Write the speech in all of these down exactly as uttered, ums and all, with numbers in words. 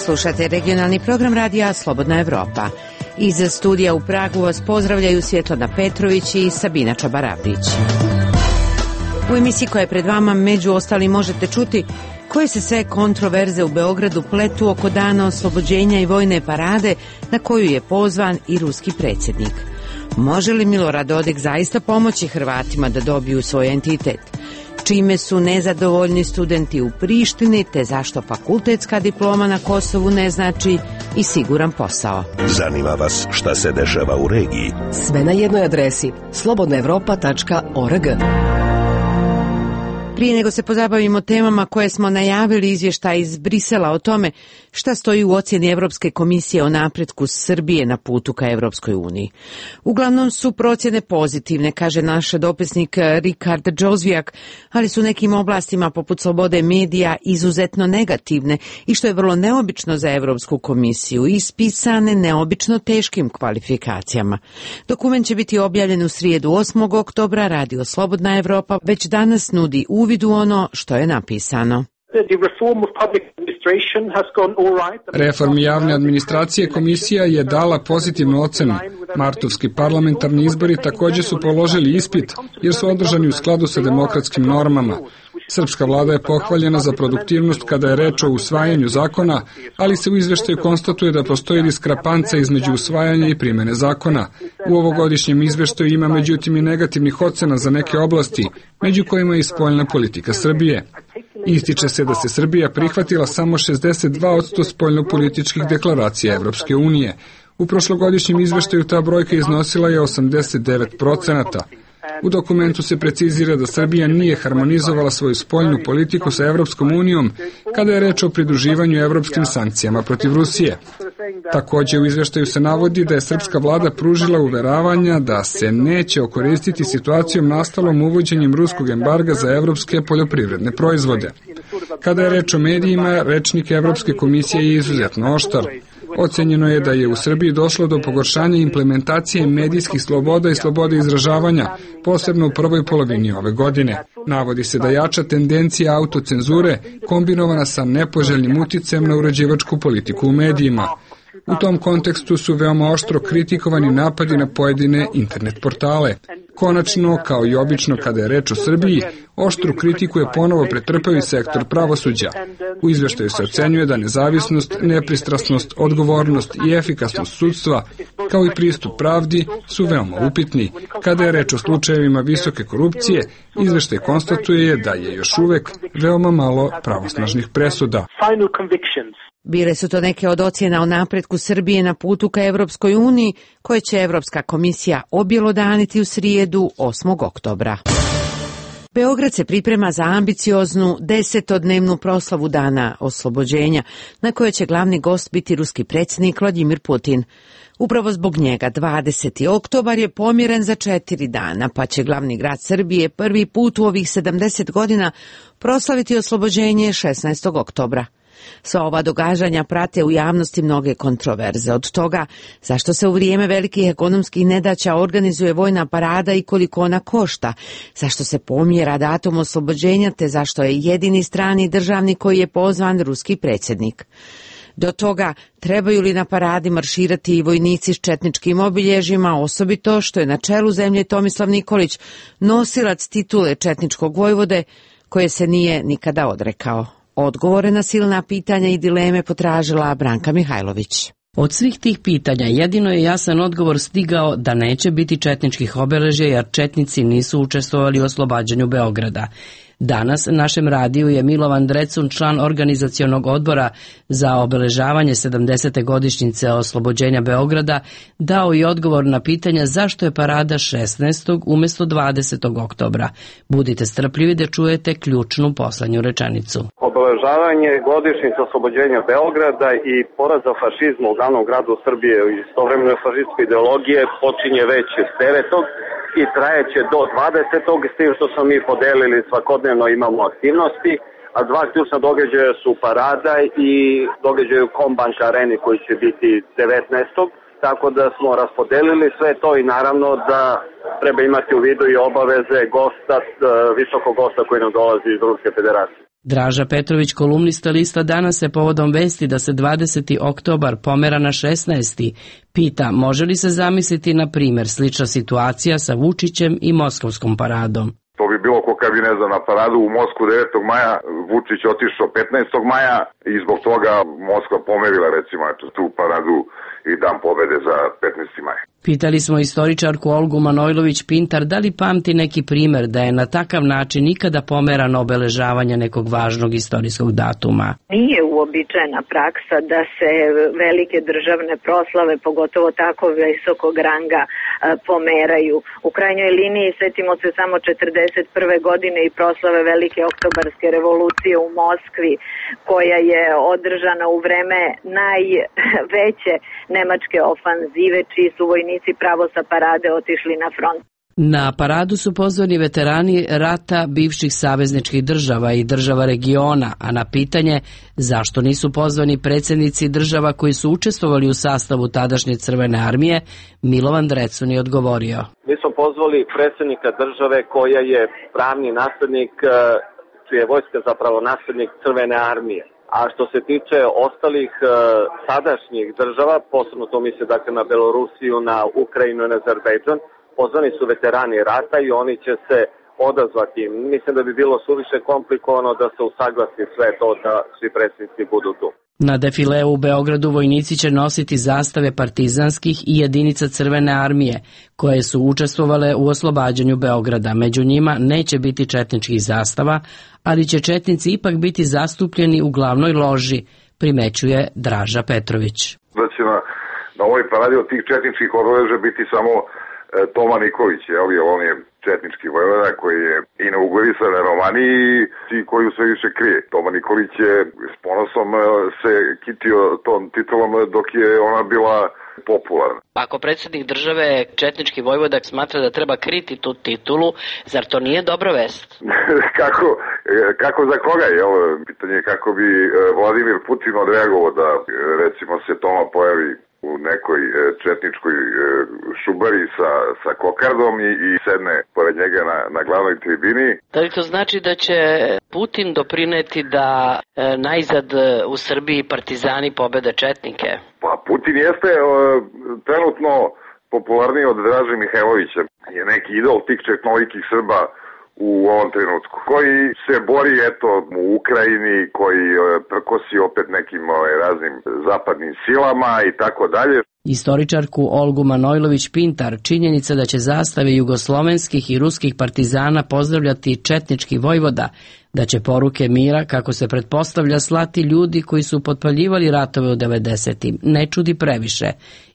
Slušate regionalni program radija Slobodna Evropa. Iz studija u Pragu vas pozdravljaju Svjetlana Petrović i Sabina Čabaravdić. U emisiji koja je pred vama među ostalim možete čuti koje se sve kontroverze u Beogradu pletu oko dana oslobođenja i vojne parade na koju je pozvan i ruski predsjednik. Može li Milorad Dodik zaista pomoći Hrvatima da dobiju svoj entitet? Čime su nezadovoljni studenti u Prištini, te zašto fakultetska diploma na Kosovu ne znači i siguran posao? Zanima vas šta se dešava u regiji? Sve na jednoj adresi slobodna evropa tačka org. Prije nego se pozabavimo temama koje smo najavili, izvještaj iz Brisela o tome šta stoji u ocjeni Evropske komisije o napretku Srbije na putu ka Evropskoj uniji. Uglavnom su procjene pozitivne, kaže naš dopisnik Rikard Džozvijak, ali su nekim oblastima poput slobode medija izuzetno negativne i što je vrlo neobično za Evropsku komisiju, ispisane neobično teškim kvalifikacijama. Dokument će biti objavljen u srijedu osmog oktobra, Radio Slobodna Evropa već danas nudi uvid u ono što je napisano. Reformi javne administracije komisija je dala pozitivnu ocenu. Martovski parlamentarni izbori također su položili ispit jer su održani u skladu sa demokratskim normama. Srpska vlada je pohvaljena za produktivnost kada je reč o usvajanju zakona, ali se u izveštaju konstatuje da postoji diskrepanca između usvajanja i primjene zakona. U ovogodišnjem izveštaju ima međutim i negativnih ocena za neke oblasti, među kojima je i spoljna politika Srbije. Ističe se da se Srbija prihvatila samo šezdeset dva posto spoljnopolitičkih deklaracija Evropske unije. U prošlogodišnjem izveštaju ta brojka iznosila je osamdeset devet procenata. U dokumentu se precizira da Srbija nije harmonizovala svoju spoljnu politiku sa Evropskom unijom kada je reč o pridruživanju evropskim sankcijama protiv Rusije. Također u izveštaju se navodi da je srpska vlada pružila uveravanja da se neće okoristiti situacijom nastalom uvođenjem ruskog embarga za evropske poljoprivredne proizvode. Kada je reč o medijima, rečnik Evropske komisije je izuzetno oštar. Ocenjeno je da je u Srbiji došlo do pogoršanja implementacije medijskih sloboda i slobode izražavanja, posebno u prvoj polovini ove godine. Navodi se da jača tendencija autocenzure kombinovana sa nepoželjnim uticajem na uređivačku politiku u medijima. U tom kontekstu su veoma oštro kritikovani napadi na pojedine internet portale. Konačno, kao i obično kada je reč o Srbiji, oštru kritiku je ponovo pretrpao i sektor pravosuđa. U izveštaju se ocenjuje da nezavisnost, nepristrasnost, odgovornost i efikasnost sudstva, kao i pristup pravdi, su veoma upitni. Kada je reč o slučajevima visoke korupcije, izveštaj konstatuje da je još uvek veoma malo pravosnažnih presuda. Bile su to neke od ocjena o napretku Srbije na putu ka Evropskoj uniji, koje će Evropska komisija objelodaniti u srijedu osmog oktobra. Beograd se priprema za ambicioznu desetodnevnu proslavu dana oslobođenja, na kojoj će glavni gost biti ruski predsjednik Vladimir Putin. Upravo zbog njega dvadeseti oktobar je pomjeren za četiri dana, pa će glavni grad Srbije prvi put u ovih sedamdeset godina proslaviti oslobođenje šesnaestog oktobra. Sva ova događanja prate u javnosti mnoge kontroverze, od toga zašto se u vrijeme velikih ekonomskih nedaća organizuje vojna parada i koliko ona košta, zašto se pomjera datum oslobođenja te zašto je jedini strani državnik koji je pozvan ruski predsjednik. Do toga, trebaju li na paradi marširati i vojnici s četničkim obilježjima, osobito što je na čelu zemlje Tomislav Nikolić, nosilac titule četničkog vojvode, koje se nije nikada odrekao. Odgovore na silna pitanja i dileme potražila Branka Mihajlović. Od svih tih pitanja jedino je jasan odgovor stigao da neće biti četničkih obeležja jer četnici nisu učestvovali u oslobađanju Beograda. Danas našem radiju je Milovan Drecun, član organizacionog odbora za obeležavanje sedamdesete godišnjice oslobođenja Beograda, dao i odgovor na pitanja zašto je parada šesnaestog umjesto dvadesetog oktobra. Budite strpljivi da čujete ključnu poslednju rečenicu. Obeležavanje godišnjice oslobođenja Beograda i poraza fašizma u glavnom gradu Srbije i istovremeno fašističke ideologije počinje već devetog i trajeće do dvadesetog s tim što smo mi podelili svakodnevno imamo aktivnosti, a dva ključna događaja su parada i događaj u Kombank areni koji će biti devetnaestog Tako da smo raspodelili sve to i naravno da treba imati u vidu i obaveze gosta, visokog gosta koji nam dolazi iz Ruske federacije. Draža Petrović, kolumnista lista Danas, se povodom vesti da se dvadeseti oktobar pomera na šesnaesti pita može li se zamisliti, na primjer, slična situacija sa Vučićem i Moskovskom paradom. To bi bilo ko kad bi, ne znam, na paradu u Moskvu devetog maja, Vučić otišao petnaestog maja i zbog toga Moskva pomerila, recimo, tu paradu i dan pobede za petnaesti maj. Pitali smo istoričarku Olgu Manojlović-Pintar da li pamti neki primer da je na takav način nikada pomerano obeležavanje nekog važnog istorijskog datuma. Nije uobičajena praksa da se velike državne proslave, pogotovo tako visokog ranga, pomeraju. U krajnjoj liniji setimo se samo četrdeset prve godine i proslave Velike oktobarske revolucije u Moskvi, koja je održana u vreme najveće nemačke ofanzive, čiji su vojnici pravo sa parade otišli na front. Na paradu su pozvani veterani rata bivših savezničkih država i država regiona, a na pitanje zašto nisu pozvani predsjednici država koji su učestvovali u sastavu tadašnje Crvene armije, Milovan Drecun je odgovorio. Mi smo pozvali predsjednika države koja je pravni naslednik, čija je vojska zapravo naslednik Crvene armije. A što se tiče ostalih e, sadašnjih država, posebno to misle dakle na Belorusiju, na Ukrajinu i na Azerbejdžan, pozvani su veterani rata i oni će se odazvati. Mislim da bi bilo suviše komplikovano da se usaglasi sve to da svi predsjednici budu tu. Na defileu u Beogradu vojnici će nositi zastave partizanskih i jedinica Crvene armije, koje su učestvovale u oslobađanju Beograda. Među njima neće biti četničkih zastava, ali će četnici ipak biti zastupljeni u glavnoj loži, primećuje Draža Petrović. Da će na, na ovoj paradi od tih četničkih obeležja biti samo e, Toma Nikolić, jel, jer on je četnički vojvoda koji je inaugurisan na Romaniji i koju sve više krije. Toma Nikolić je s ponosom se kitio tom titulom dok je ona bila popularna. Ako predsjednik države, četnički vojvoda, smatra da treba kriti tu titulu, zar to nije dobra vest? kako, kako za koga je? Ovo pitanje je kako bi Vladimir Putin odreagovao da recimo se Toma pojavi u nekoj četničkoj šubari sa, sa kokardom i, i sedne pored njega na, na glavnoj tribini. Da li to znači da će Putin doprineti da e, najzad u Srbiji partizani pobede četnike? Pa Putin jeste e, trenutno popularniji od Draže Mihajlovića. Je neki idol tih četnolikih Srba u ovom trenutku, koji se bori eto u Ukrajini, koji prkosi opet nekim raznim zapadnim silama i tako dalje. Istoričarku Olgu Manojlović-Pintar činjenica da će zastave jugoslovenskih i ruskih partizana pozdravljati četnički vojvoda, da će poruke mira, kako se pretpostavlja, slati ljudi koji su potpaljivali ratove u devedesetim, ne čudi previše.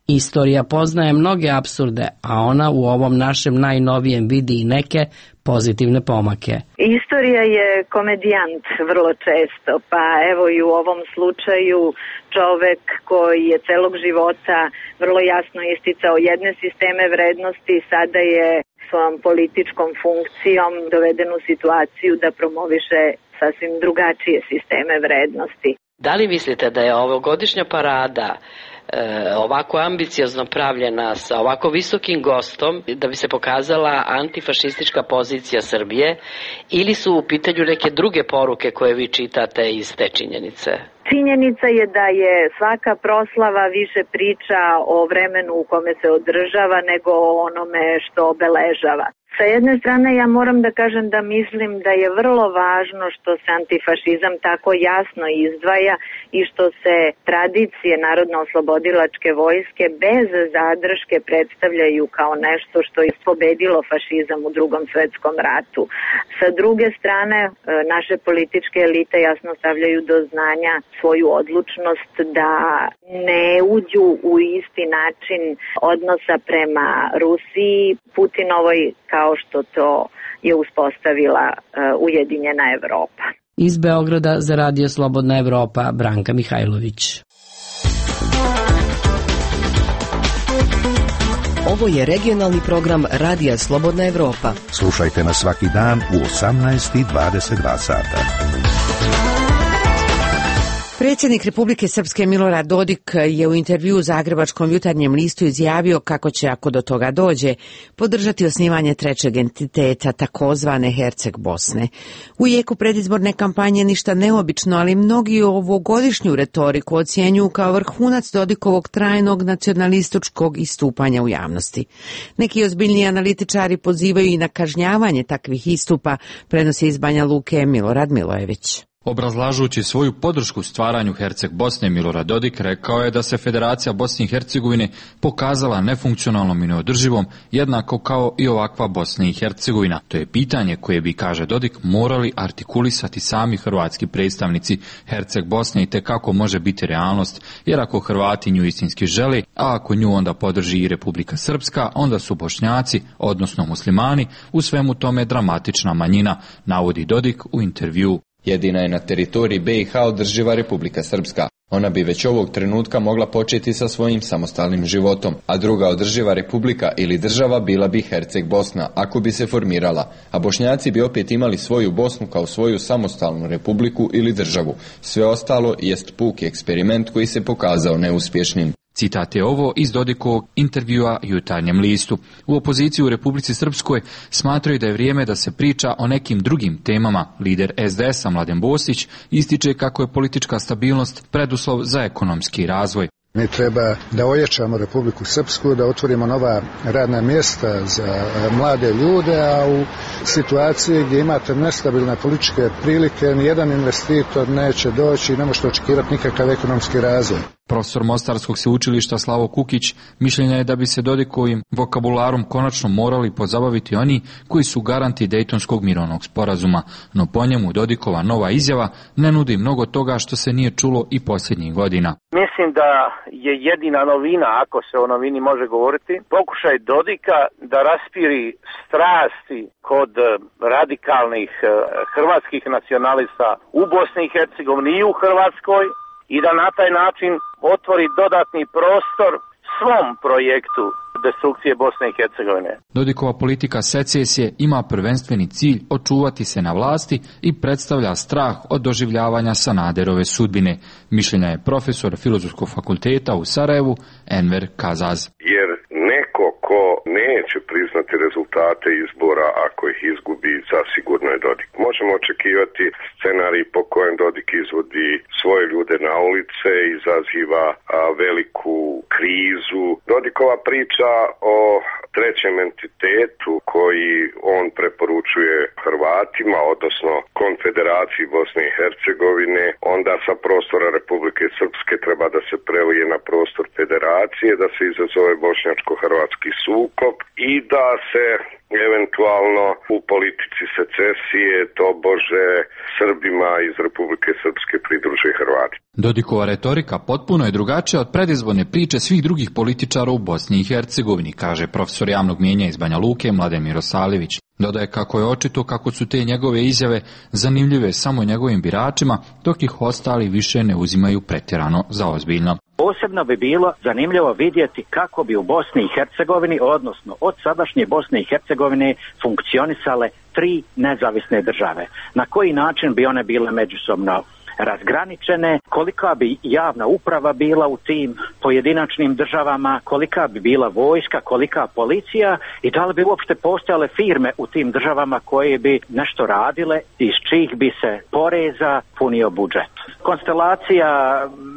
Istorija poznaje mnoge apsurde, a ona u ovom našem najnovijem vidi i neke pozitivne pomake. Istorija je komedijant vrlo često, pa evo i u ovom slučaju čovek koji je celog života vrlo jasno isticao jedne sisteme vrednosti, sada je svojom političkom funkcijom doveden u situaciju da promoviše sasvim drugačije sisteme vrednosti. Da li mislite da je ovogodišnja parada E, ovako ambiciozno pravljena sa ovako visokim gostom da bi se pokazala antifašistička pozicija Srbije, ili su u pitanju neke druge poruke koje vi čitate iz te činjenice? Činjenica je da je svaka proslava više priča o vremenu u kome se održava nego o onome što obeležava. Sa jedne strane ja moram da kažem da mislim da je vrlo važno što se antifašizam tako jasno izdvaja i što se tradicije Narodno-oslobodilačke vojske bez zadrške predstavljaju kao nešto što je pobedilo fašizam u Drugom svetskom ratu. Sa druge strane, naše političke elite jasno stavljaju do znanja svoju odlučnost da ne uđu u isti način odnosa prema Rusiji, Putinovoj, kao što to je uspostavila uh, Ujedinjena Evropa. Iz Beograda za Radio Slobodna Evropa, Branka Mihajlović. Ovo je regionalni program Radija Slobodna Evropa. Slušajte nas svaki dan u osamnaest i dvadeset dva sata. Predsjednik Republike Srpske Milorad Dodik je u intervjuu u Zagrebačkom jutarnjem listu izjavio kako će, ako do toga dođe, podržati osnivanje trećeg entiteta, takozvane Herceg Bosne. U jeku predizborne kampanje ništa neobično, ali mnogi ovogodišnju retoriku ocjenjuju kao vrhunac Dodikovog trajnog nacionalističkog istupanja u javnosti. Neki ozbiljni analitičari pozivaju i na kažnjavanje takvih istupa, prenosi iz Banja Luke Milorad Milojević. Obrazlažući svoju podršku stvaranju Herceg Bosne, Milorad Dodik rekao je da se Federacija Bosne i Hercegovine pokazala nefunkcionalnom i neodrživom, jednako kao i ovakva Bosna i Hercegovina. To je pitanje koje bi, kaže Dodik, morali artikulisati sami hrvatski predstavnici. Herceg Bosne i tekako može biti realnost, jer ako Hrvati nju istinski žele, a ako nju onda podrži i Republika Srpska, onda su Bošnjaci, odnosno muslimani, u svemu tome dramatična manjina, navodi Dodik u intervjuu. Jedina je na teritoriji be i ha održiva Republika Srpska. Ona bi već ovog trenutka mogla početi sa svojim samostalnim životom, a druga održiva republika ili država bila bi Herceg Bosna, ako bi se formirala, a Bošnjaci bi opet imali svoju Bosnu kao svoju samostalnu republiku ili državu. Sve ostalo jest puki eksperiment koji se pokazao neuspješnim. Citat je ovo iz Dodikovog intervjua Jutarnjem listu. U opoziciji u Republici Srpskoj smatraju da je vrijeme da se priča o nekim drugim temama. Lider es de esa Mladen Bosić ističe kako je politička stabilnost preduslov za ekonomski razvoj. Mi treba da ojačamo Republiku Srpsku, da otvorimo nova radna mjesta za mlade ljude, a u situaciji gdje imate nestabilne političke prilike, nijedan investitor neće doći i ne možete očekivati nikakav ekonomski razvoj. Profesor Mostarskog sveučilišta Slavo Kukić mišljenja je da bi se Dodikovim vokabularom konačno morali pozabaviti oni koji su garanti Dejtonskog mirovnog sporazuma, no po njemu Dodikova nova izjava ne nudi mnogo toga što se nije čulo i posljednjih godina. Mislim da je jedina novina, ako se o novini može govoriti, pokušaj Dodika da raspiri strasti kod radikalnih hrvatskih nacionalista u Bosni i Hercegovini i u Hrvatskoj, i da na taj način otvori dodatni prostor svom projektu destrukcije Bosne i Hercegovine. Dodikova politika secesije ima prvenstveni cilj očuvati se na vlasti i predstavlja strah od doživljavanja Sanaderove sudbine. Mišljenja je profesor Filozofskog fakulteta u Sarajevu Enver Kazaz. Jer neko ko neće priznati rezultate izbora ako ih izgubi, zasigurno je Dodik. Možemo očekivati scenarij po kojem Dodik izvodi svoje ljude na ulice, izaziva a, veliku krizu. Dodikova priča o trećem entitetu koji on preporučuje Hrvatima, odnosno Konfederaciji Bosne i Hercegovine, onda sa prostora Republike Srpske treba da se prelije na prostor Federacije, da se izazove bošnjačko-hrvatski sukob i da se eventualno u politici secesije tobože Srbima iz Republike Srpske pridruže Hrvati. Dodikova retorika potpuno je drugačija od predizborne priče svih drugih političara u Bosni i Hercegovini, kaže profesor javnog mijenja iz Banja Luke Mladen Mirosavljević. Dodaje kako je očito kako su te njegove izjave zanimljive samo njegovim biračima, dok ih ostali više ne uzimaju pretjerano za ozbiljno. Posebno bi bilo zanimljivo vidjeti kako bi u Bosni i Hercegovini, odnosno od sadašnje Bosne i Hercegovine, funkcionisale tri nezavisne države. Na koji način bi one bile međusobno razgraničene, kolika bi javna uprava bila u tim pojedinačnim državama, kolika bi bila vojska, kolika policija i da li bi uopšte postojale firme u tim državama koje bi nešto radile, iz čijih bi se poreza punio budžet. Konstelacija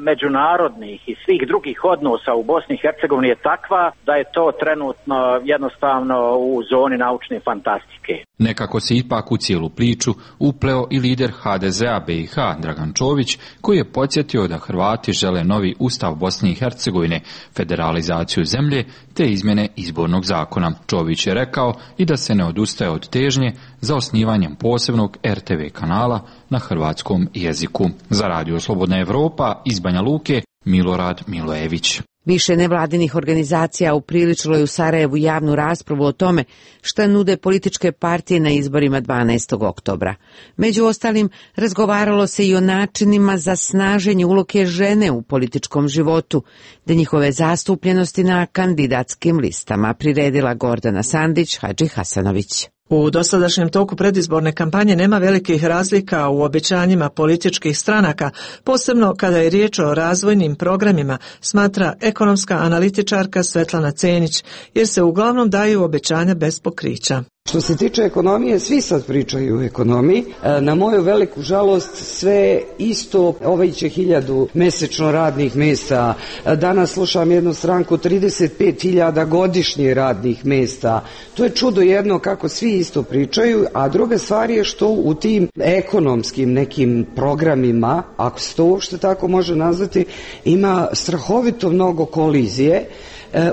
međunarodnih i svih drugih odnosa u Bosni i Hercegovini je takva da je to trenutno jednostavno u zoni naučne fantastike. Nekako se ipak u cijelu priču upleo i lider ha de ze a be i ha Dragan Čović, koji je podsjetio da Hrvati žele novi ustav Bosne i Hercegovine, federalizaciju zemlje te izmjene izbornog zakona. Čović je rekao i da se ne odustaje od težnje za osnivanjem posebnog er te ve kanala na hrvatskom jeziku. Za Radio Slobodna Evropa iz Banja Luke Milorad Milojević. Više nevladinih organizacija upriličilo je u Sarajevu javnu raspravu o tome šta nude političke partije na izborima dvanaestog oktobra. Među ostalim, razgovaralo se i o načinima za snaženje uloge žene u političkom životu, da njihove zastupljenosti na kandidatskim listama, priredila Gordana Sandić Hadži Hasanović. U dosadašnjem toku predizborne kampanje nema velikih razlika u obećanjima političkih stranaka, posebno kada je riječ o razvojnim programima, smatra ekonomska analitičarka Svetlana Cenić, jer se uglavnom daju obećanja bez pokrića. Što se tiče ekonomije, svi sad pričaju o ekonomiji. Na moju veliku žalost sve isto, ovaj će hiljadu mesečno radnih mjesta. Danas slušam jednu stranku trideset pet hiljada godišnje radnih mjesta. To je čudo jedno kako svi isto pričaju, a druga stvar je što u tim ekonomskim nekim programima, ako se to uopšte tako može nazvati, ima strahovito mnogo kolizije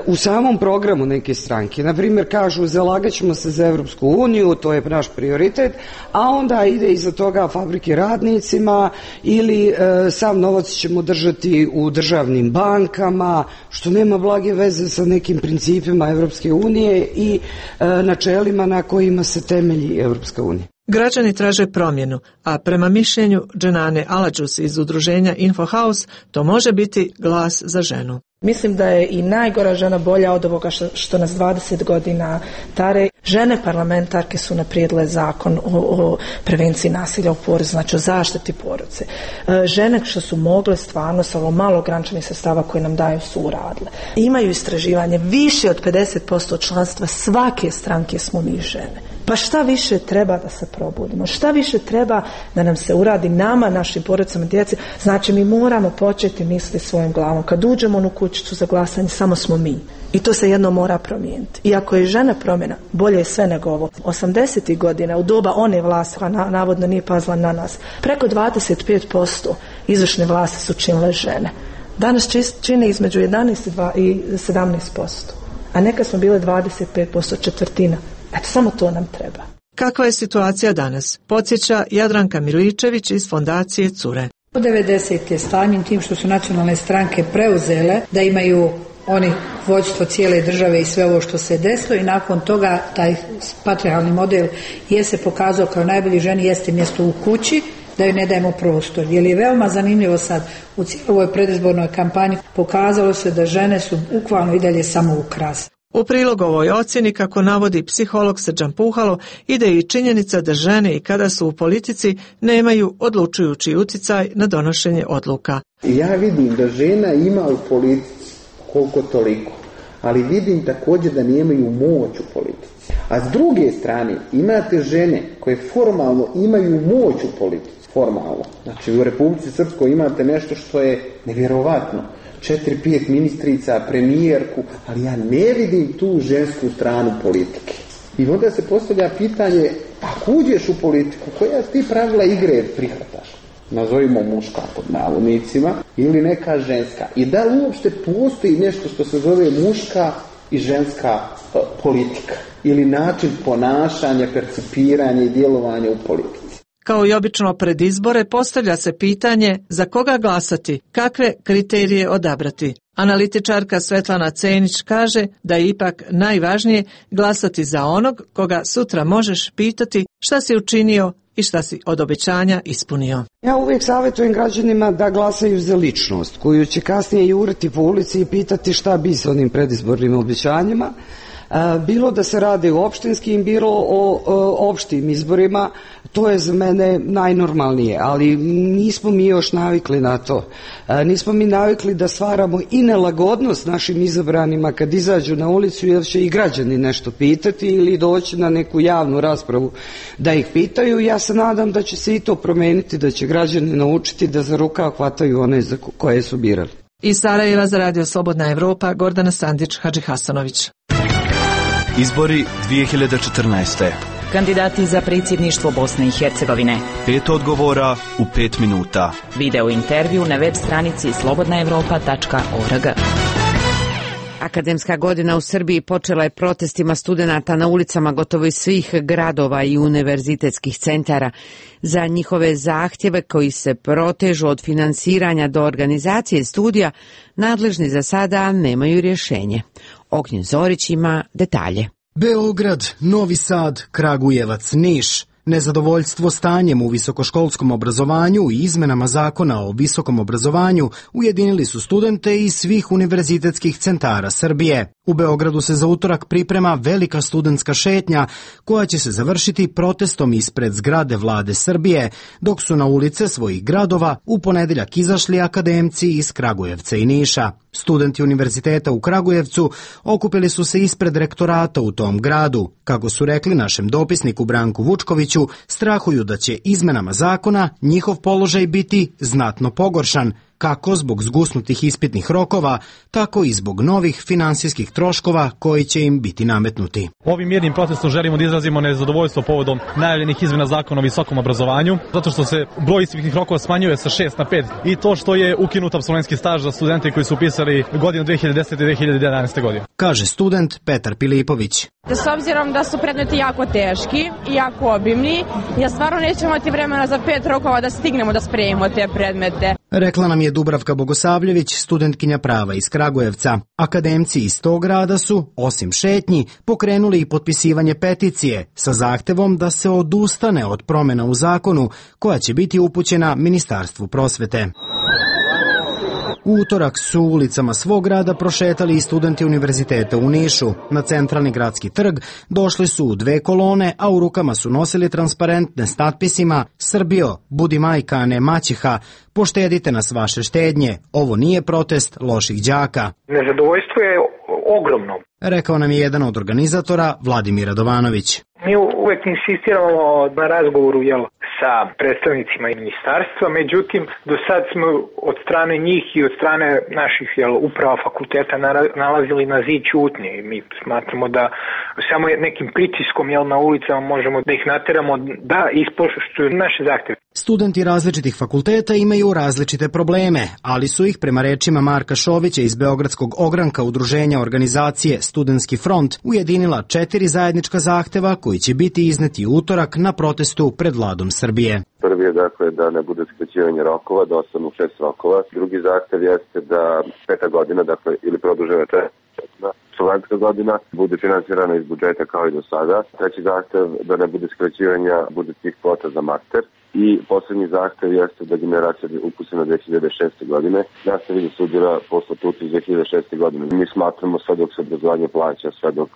u samom programu neke stranke. Na primjer, kažu zalagat ćemo se za Evropsku uniju, to je naš prioritet, a onda ide iza toga fabrike radnicima ili e, sav novac ćemo držati u državnim bankama, što nema blage veze sa nekim principima Evropske unije i e, načelima na kojima se temelji Evropska unija. Građani traže promjenu, a prema mišljenju Dženane Aladžus iz udruženja Infohaus, to može biti glas za ženu. Mislim da je i najgora žena bolja od ovoga što, što nas dvadeset godina tare. Žene parlamentarke su naprijedile zakon o, o prevenciji nasilja u porodici, znači o zaštiti porodice. E, žene što su mogle stvarno sa ovo malo ograničenih sredstava koje nam daju su uradile. Imaju istraživanje, više od pedeset posto članstva svake stranke smo mi žene. Pa šta više treba da se probudimo? Šta više treba da nam se uradi nama, našim porodicama, djeci? Znači mi moramo početi misliti svojom glavom. Kad uđemo u onu kućicu za glasanje, samo smo mi. I to se jedno mora promijeniti. I ako je žena promjena, bolje je sve nego ovo. osamdesetih godina, u doba one vlasti, koja navodno nije pazila na nas, preko dvadeset pet posto izvršne vlasti su činile žene. Danas čine između jedanaest i sedamnaest posto. A neka smo bile dvadeset pet posto, četvrtina. Eto, samo to nam treba. Kakva je situacija danas? Podsjeća Jadranka Miličević iz fondacije Cure. U devedesete stanjem tim što su nacionalne stranke preuzele da imaju oni vođstvo cijele države i sve ovo što se desilo i nakon toga taj patrijarhalni model je se pokazao kao najbolji. Ženi jeste mjesto u kući, da joj ne dajemo prostor. Jer je veoma zanimljivo sad u cijeloj predizbornoj kampanji pokazalo se da žene su bukvalno i dalje samo ukras. U prilog ovoj ocjeni, kako navodi psiholog Srđan Puhalo, ide i činjenica da žene i kada su u politici nemaju odlučujući utjecaj na donošenje odluka. Ja vidim da žena ima u politici koliko toliko, ali vidim također da nemaju moć u politici. A s druge strane imate žene koje formalno imaju moć u politici, formalno. Znači u Republici Srpskoj imate nešto što je nevjerovatno. Četiri, pet ministrica, premijerku, ali ja ne vidim tu žensku stranu politike. I onda se postavlja pitanje, ako uđeš u politiku, koja ti pravila igre prihvataš? Nazovimo muška pod navodnicima ili neka ženska. I da li uopšte postoji nešto što se zove muška i ženska uh, politika? Ili način ponašanja, percipiranja i djelovanja u politici? Kao i obično pred izbore postavlja se pitanje za koga glasati, kakve kriterije odabrati. Analitičarka Svetlana Cenić kaže da je ipak najvažnije glasati za onog koga sutra možeš pitati šta si učinio i šta si od obećanja ispunio. Ja uvijek savjetujem građanima da glasaju za ličnost koju će kasnije juriti po ulici i pitati šta bi s onim predizbornim obećanjima. Bilo da se radi o opštinskim, bilo o, o opštim izborima, to je za mene najnormalnije, ali nismo mi još navikli na to. Nismo mi navikli da stvaramo i nelagodnost našim izabranima kad izađu na ulicu, jer će i građani nešto pitati ili doći na neku javnu raspravu da ih pitaju. Ja se nadam da će se i to promijeniti, da će građani naučiti da za rukav hvataju one za koje su birali. Iz Sarajeva za Radio Slobodna Evropa, Gordana Sandić, Hadži Hasanović. Izbori dvije hiljade četrnaeste. Kandidati za predsjedništvo Bosne i Hercegovine. Pet odgovora u pet minuta. Video intervju na web stranici slobodna evropa tačka org. Akademska godina u Srbiji počela je protestima studenata na ulicama gotovo iz svih gradova i univerzitetskih centara. Za njihove zahtjeve koji se protežu od finansiranja do organizacije studija, nadležni za sada nemaju rješenje. Ognjen Zorić ima detalje. Beograd, Novi Sad, Kragujevac, Niš. Nezadovoljstvo stanjem u visokoškolskom obrazovanju i izmenama zakona o visokom obrazovanju ujedinili su studente iz svih univerzitetskih centara Srbije. U Beogradu se za utorak priprema velika studentska šetnja koja će se završiti protestom ispred zgrade Vlade Srbije, dok su na ulice svojih gradova u ponedeljak izašli akademci iz Kragujevca i Niša. Studenti univerziteta u Kragujevcu okupili su se ispred rektorata u tom gradu. Kako su rekli našem dopisniku Branku Vučkoviću, strahuju da će izmenama zakona njihov položaj biti znatno pogoršan, kako zbog zgusnutih ispitnih rokova, tako i zbog novih finansijskih troškova koji će im biti nametnuti. Ovim mirnim protestom želimo da izrazimo nezadovoljstvo povodom najavljenih izmena zakona o visokom obrazovanju, zato što se broj ispitnih rokova smanjuje sa šest na pet i to što je ukinut apsolventski staž za studente koji su upisali godinu dve hiljade desete i dve hiljade jedanaeste. godine. Kaže student Petar Pilipović. S obzirom da su predmeti jako teški i jako obimni, ja stvarno neću imati vremena za pet rokova da stignemo da spremimo te predmete. Rekla nam je Dubravka Bogosavljević, studentkinja prava iz Kragujevca. Akademci iz tog grada su, osim šetnji, pokrenuli i potpisivanje peticije sa zahtevom da se odustane od promjena u zakonu koja će biti upućena Ministarstvu prosvete. U utorak su ulicama svog grada prošetali i studenti univerziteta u Nišu. Na centralni gradski trg došli su u dve kolone, a u rukama su nosili transparentne s natpisima Srbijo, budi majka, a ne maćeha, poštedite nas vaše štednje, ovo nije protest loših đaka. Nezadovoljstvo je ogromno. Rekao nam je jedan od organizatora, Vladimir Radovanović. Mi uvek insistiramo na razgovoru jel, sa predstavnicima ministarstva, međutim, do sad smo od strane njih i od strane naših jel, uprava fakulteta nalazili na zid ćutnje i mi smatramo da samo nekim pritiskom jel, na ulicama možemo da ih nateramo da ispoštuju naše zahteve. Studenti različitih fakulteta imaju različite probleme, ali su ih, prema rečima Marka Šovića iz Beogradskog ogranka udruženja organizacije Studentski front, ujedinila četiri zajednička zahteva koji će biti izneti utorak na protestu pred Vladom Srbije. Prvi je dakle da ne bude skraćivanje rokova, da ostanu šest rokova. Drugi zahtev jeste da peta godina, dakle ili produžena četvrta studentska godina, bude finansirana iz budžeta kao i do sada. Treći zahtev da ne bude skraćivanja budžetskih kvota za master. I posljednji zahtev jeste da generacija upisana dve hiljade šeste. godine nastavi da studira po statutu iz dve hiljade šeste. godine. Mi smatramo sve dok se obrazovanje plaća, sve dok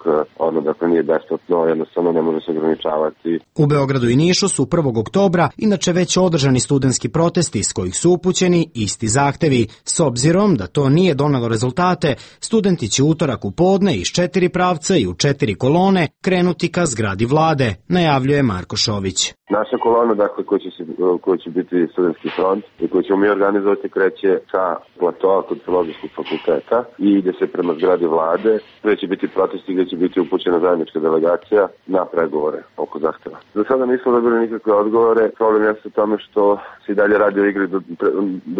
ono dakle nije besplatno, jednostavno ne može se ograničavati. U Beogradu i Nišu su prvog oktobra inače već održani studentski protesti s kojih su upućeni isti zahtevi. S obzirom da to nije donelo rezultate, studenti će utorak u podne iz četiri pravca i u četiri kolone krenuti ka zgradi Vlade, najavljuje Marko Šović. Naša kolona, dakle, koja će, se, koja će biti studentski front i koju ćemo mi organizovati, kreće sa platoa kod Filozofskog fakulteta i ide se prema zgradi Vlade, gde će biti protesti, gde će biti upućena zajednička delegacija na pregovore oko zahteva. Do sada nismo dobili nikakve odgovore. Problem je u tome što se i dalje radi o igri do,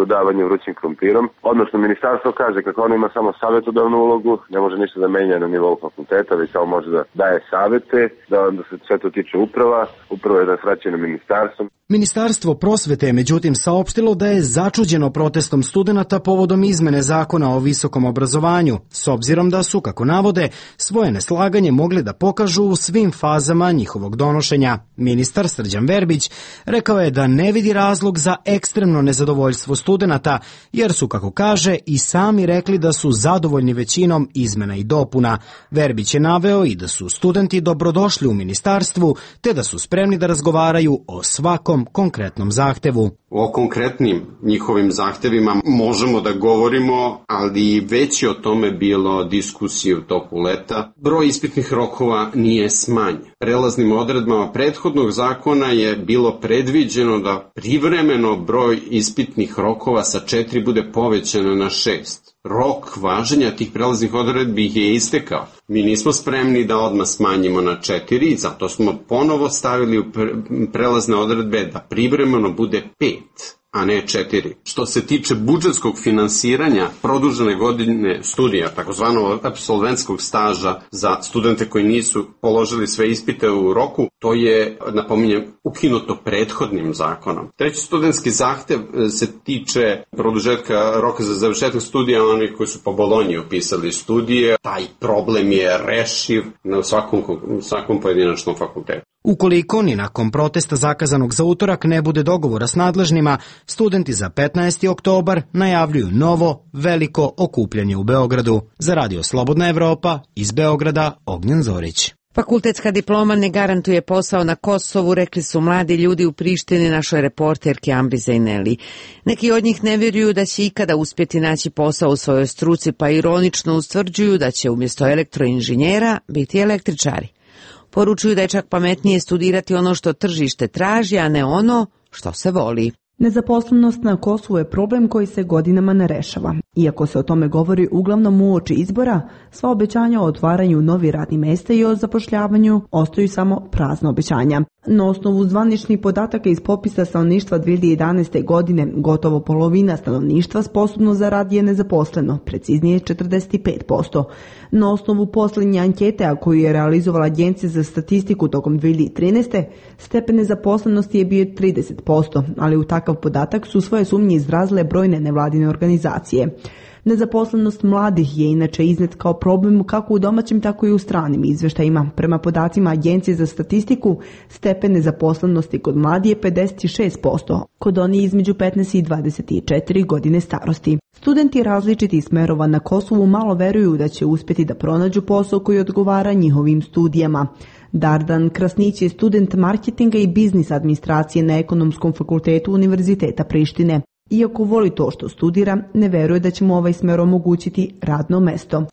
dodavanja vrućim krompirom. Odnosno, ministarstvo kaže kako ono ima samo savjetodavnu ulogu, ne može ništa da menja na nivou fakulteta, već samo može da daje savete, da onda se sve to tiče uprava, uprava je da ministarstvo. Ministarstvo prosvete je međutim saopštilo da je začuđeno protestom studenata povodom izmene zakona o visokom obrazovanju, s obzirom da su, kako navode, svoje neslaganje mogli da pokažu u svim fazama njihovog donošenja. Ministar Srđan Verbić rekao je da ne vidi razlog za ekstremno nezadovoljstvo studenata, jer su, kako kaže, i sami rekli da su zadovoljni većinom izmena i dopuna. Verbić je naveo i da su studenti dobrodošli u ministarstvu, te da su spremni da razgovaraju o svakom konkretnom zahtevu. O konkretnim njihovim zahtevima možemo da govorimo, ali već je o tome bilo diskusije u toku leta. Broj ispitnih rokova nije smanjen. Prelaznim odredbama prethodnog zakona je bilo predviđeno da privremeno broj ispitnih rokova sa četiri bude povećano na šest. Rok važenja tih prelaznih odredbi je istekao. Mi nismo spremni da odmah smanjimo na četiri, zato smo ponovo stavili u prelazne odredbe da privremeno bude pet, a ne četiri. Što se tiče budžetskog finansiranja produžene godine studija, takozvanog apsolventskog staža za studente koji nisu položili sve ispite u roku, to je, napominjem, ukinuto prethodnim zakonom. Treći studentski zahtev se tiče produžetka roka za završetak studija onih koji su po Bolonji upisali studije. Taj problem je rešiv na svakom, svakom pojedinačnom fakultetu. Ukoliko ni nakon protesta zakazanog za utorak ne bude dogovora s nadležnima, studenti za petnaesti oktobar najavljuju novo, veliko okupljanje u Beogradu. Za Radio Slobodna Evropa, iz Beograda, Ognjen Zorić. Fakultetska diploma ne garantuje posao na Kosovu, rekli su mladi ljudi u Prištini našoj reporterki Ambri Zajneli. Neki od njih ne vjeruju da će ikada uspjeti naći posao u svojoj struci, pa ironično ustvrđuju da će umjesto elektroinženjera biti električari. Poručuju da je čak pametnije studirati ono što tržište traži, a ne ono što se voli. Nezaposlenost na Kosovu je problem koji se godinama ne rešava. Iako se o tome govori uglavnom uoči izbora, sva obećanja o otvaranju novih radnih mjesta i o zapošljavanju ostaju samo prazna obećanja. Na osnovu zvaničnih podataka iz popisa stanovništva dvije hiljade jedanaeste. godine gotovo polovina stanovništva sposobno za rad je nezaposleno, preciznije četrdeset pet posto. Na osnovu posljednje ankete, a koju je realizovala Agencija za statistiku tokom dvije hiljade trinaeste. stepen nezaposlenosti je bio trideset posto, ali u takav podatak su svoje sumnje izrazile brojne nevladine organizacije. Nezaposlenost mladih je inače iznet kao problem kako u domaćim, tako i u stranim izveštajima. Prema podacima Agencije za statistiku, stepen nezaposlenosti kod mladih je pedeset šest posto, kod onih između petnaest i dvadeset četiri godine starosti. Studenti različitih smerova na Kosovu malo veruju da će uspjeti da pronađu posao koji odgovara njihovim studijama. Dardan Krasnić je student marketinga i biznis administracije na Ekonomskom fakultetu Univerziteta Prištine. Iako voli to što studira, ne veruje da će mu ovaj smer omogućiti radno mesto.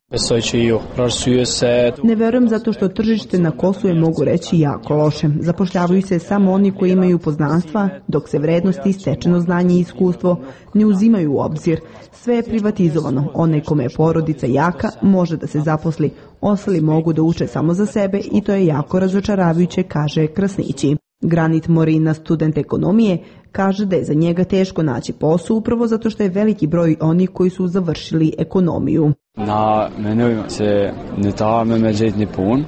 Ne verujem zato što tržište na Kosovu je, mogu reći, jako loše. Zapošljavaju se samo oni koji imaju poznanstva, dok se vrednosti, stečeno znanje i iskustvo ne uzimaju u obzir. Sve je privatizovano. Onaj kome je porodica jaka može da se zaposli. Ostali mogu da uče samo za sebe i to je jako razočaravajuće, kaže Krasnići. Granit Morina, student ekonomije, kaže da je za njega teško naći posao upravo zato što je veliki broj onih koji su završili ekonomiju.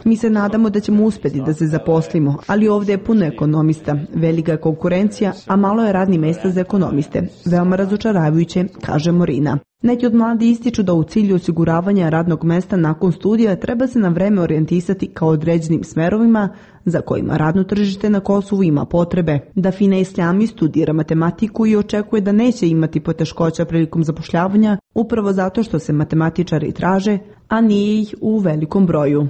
Mi se nadamo da ćemo uspjeti da se zaposlimo, ali ovdje je puno ekonomista, velika je konkurencija, a malo je radnih mjesta za ekonomiste. Veoma razočaravajuće, kaže Morina. Neki od mladi ističu da u cilju osiguravanja radnog mjesta nakon studija treba se na vreme orijentisati kao određenim smerovima za kojima radno tržište na Kosovu ima potrebe. Dafina Islami studira matematiku i očekuje da neće imati poteškoća prilikom zapošljavanja upravo zato što se matematičari traže, a nije ih u velikom broju.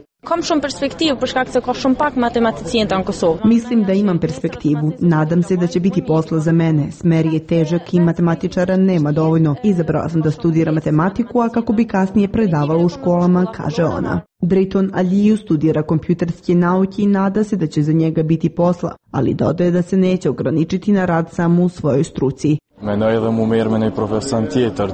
Mislim da imam perspektivu. Nadam se da će biti posla za mene. Smer je težak i matematičara nema dovoljno. Izabrala sam da studiram matematiku, a kako bi kasnije predavala u školama, kaže ona. Drayton Aliju studira kompjuterske nauke i nada se da će za njega biti posla, ali dodaje da se neće ograničiti na rad samo u svojoj struci.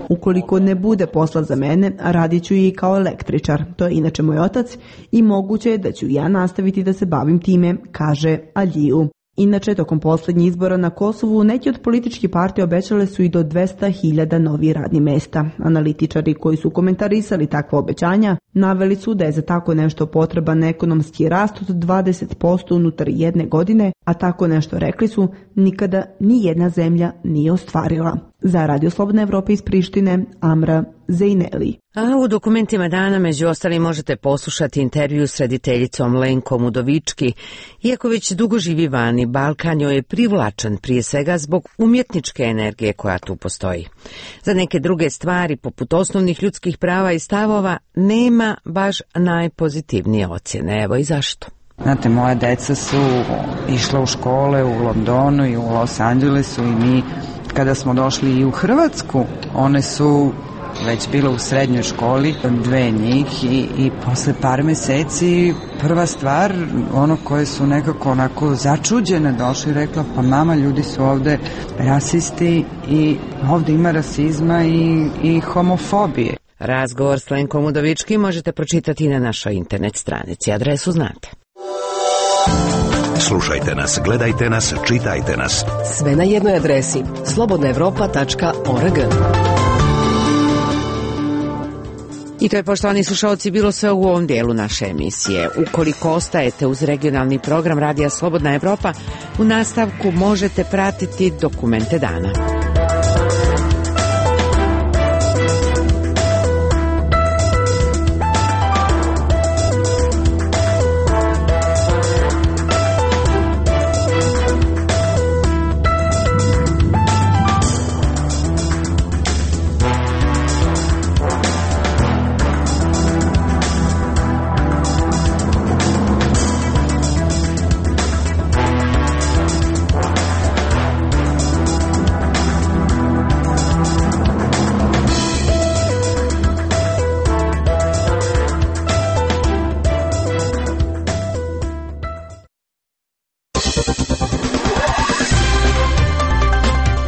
Ukoliko ne bude posla za mene, radit ću i kao električar. To je inače moj otac i moguće je da ću ja nastaviti da se bavim time, kaže Aliju. Inače, tokom posljednjih izbora na Kosovu, neki od političkih partija obećale su i do dvesta hiljada novih radnih mjesta. Analitičari koji su komentarisali takva obećanja naveli su da je za tako nešto potreban ekonomski rast od dvadeset posto unutar jedne godine, a tako nešto, rekli su, nikada ni jedna zemlja nije ostvarila. Za Radio Slobodna Evropa iz Prištine, Amra Zejneli. A u dokumentima dana među ostalim možete poslušati intervju s rediteljicom Lenkom Udovički. Iako već dugo živi vani, Balkan joj je privlačan prije svega zbog umjetničke energije koja tu postoji. Za neke druge stvari, poput osnovnih ljudskih prava i stavova, nema baš najpozitivnije ocjene. Evo i zašto. Znate, moja deca su išla u škole u Londonu i u Los Angelesu i mi kada smo došli i u Hrvatsku, one su već bile u srednjoj školi, dve njih i, i posle par meseci prva stvar, ono koje su nekako onako začuđene došli i rekla, pa mama, ljudi su ovde rasisti i ovde ima rasizma i, i homofobije. Razgovor s Lenkom Udovički možete pročitati na našoj internet stranici. Adresu znate. Slušajte nas, gledajte nas, čitajte nas. Sve na jednoj adresi slobodna evropa tačka org. I to je, poštovani slušalci, bilo sve u ovom dijelu naše emisije. Ukoliko ostajete uz regionalni program Radija Slobodna Evropa, u nastavku možete pratiti dokumente dana.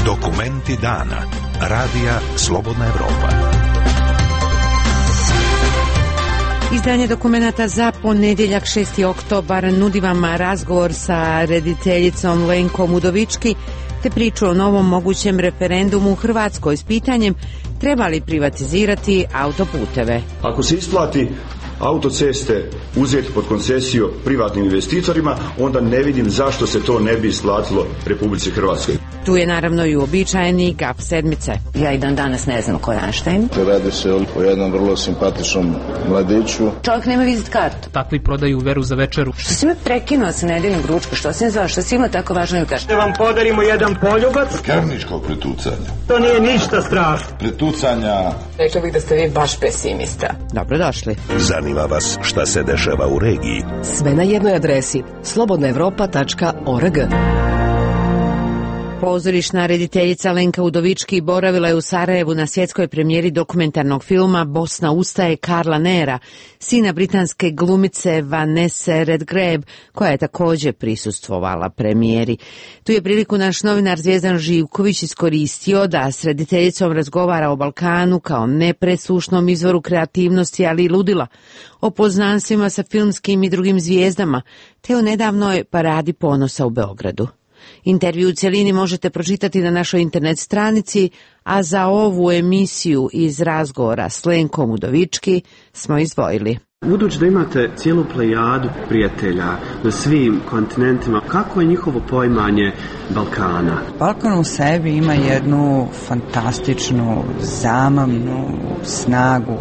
Dokumenti dana. Radija Slobodna Evropa. Izdanje dokumenata za ponedjeljak šesti oktobar nudi vam razgovor sa rediteljicom Lenkom Udovički te priču o novom mogućem referendumu u Hrvatskoj s pitanjem treba li privatizirati autoputeve. Ako se isplati autoceste uzeti pod koncesiju privatnim investitorima, onda ne vidim zašto se to ne bi isplatilo Republici Hrvatskoj. Tu je naravno i uobičajeni gaf sedmice. Ja i dan danas ne znam ko je Einstein. Radi se o jednom vrlo simpatičnom mladiću. Čovjek nema vizit kartu. Takvi prodaju veru za večeru. Što si me prekinuo sa nedeljnim ručkom? Što si ne zvao? Što si ima tako važno ju kažeš? Da vam podarimo jedan poljubac. Krvničkog pretucanja. To nije ništa strašno. Pretucanja. Rekla bih da ste vi baš pesimista. Dobrodošli. Zanima vas šta se dešava u regiji? Sve na jednoj adresi slobodna evropa tačka org. Pozorišna rediteljica Lenka Udovički boravila je u Sarajevu na svjetskoj premijeri dokumentarnog filma Bosna ustaje Karla Nera, sina britanske glumice Vanesse Redgrave, koja je također prisustvovala premijeri. Tu je priliku naš novinar Zvijezdan Živković iskoristio da s rediteljicom razgovara o Balkanu kao nepresušnom izvoru kreativnosti, ali i ludila, o poznanstvima sa filmskim i drugim zvijezdama, te o nedavnoj paradi ponosa u Beogradu. Intervju u cjelini možete pročitati na našoj internet stranici, a za ovu emisiju iz razgovora s Lenkom Udovički smo izdvojili. Budući da imate cijelu plejadu prijatelja na svim kontinentima, kako je njihovo poimanje Balkana? Balkan u sebi ima jednu fantastičnu, zamamnu snagu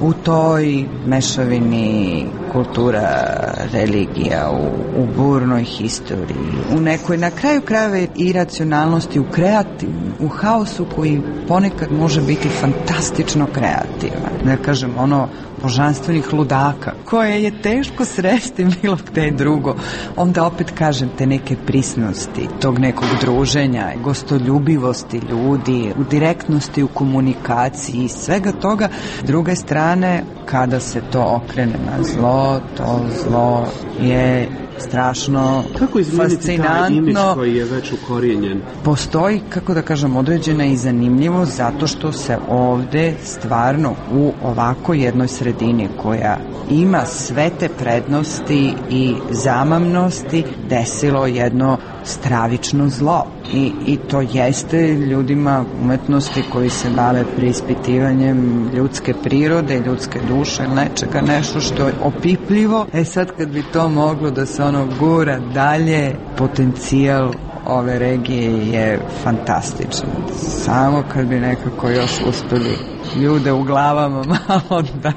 u toj mešavini kultura, religija, u, u burnoj historiji, u nekoj na kraju krajeva iracionalnosti, u kreativnom, u haosu koji ponekad može biti fantastično kreativan. Da kažem, ono božanstvenih ludaka, koje je teško sresti bilo gde drugo. Onda opet kažem te neke prisnosti, tog nekog druženja, gostoljubivosti ljudi, u direktnosti, u komunikaciji, svega toga. S druge strane, kada se to okrene na zlo, to zlo je strašno kako izmijeniti fascinantno. Taj imidž koji je već ukorijenjen? Postoji, kako da kažem, određena i zanimljivo zato što se ovde stvarno u ovako jednoj sredini koja ima sve te prednosti i zamamnosti desilo jedno stravično zlo. I, i to jeste ljudima umetnosti koji se bave preispitivanjem ljudske prirode, ljudske duše ili nečega, nešto što je opipljivo. E sad kad bi to moglo da se ono gura dalje, potencijal ove regije je fantastičan. Samo kad bi nekako još uspeli ljude u glavama malo da,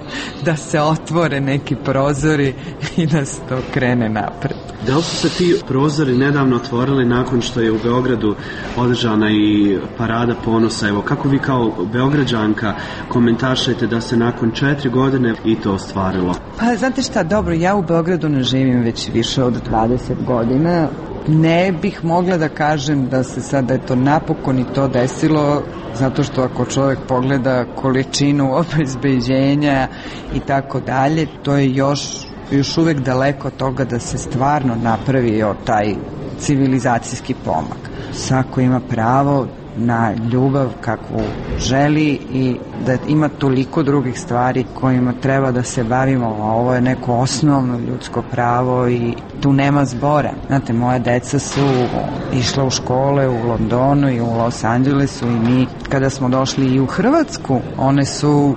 da se otvore neki prozori i da se to krene napred. Da li su se ti prozori nedavno otvorili nakon što je u Beogradu održana i parada ponosa? Evo, kako vi kao Beograđanka komentaršajte da se nakon četiri godine i to ostvarilo? Pa, znate šta, dobro, ja u Beogradu ne živim već više od dvadeset godina. Ne bih mogla da kažem da se sada je to napokon i to desilo, zato što ako čovjek pogleda količinu obezbeđenja i tako dalje, to je još još uvijek daleko od toga da se stvarno napravio taj civilizacijski pomak. Svako ima pravo na ljubav kakvu želi i da ima toliko drugih stvari kojima treba da se bavimo, a ovo je neko osnovno ljudsko pravo i tu nema zbora. Znate, moja deca su išla u škole u Londonu i u Los Angelesu i mi kada smo došli i u Hrvatsku, one su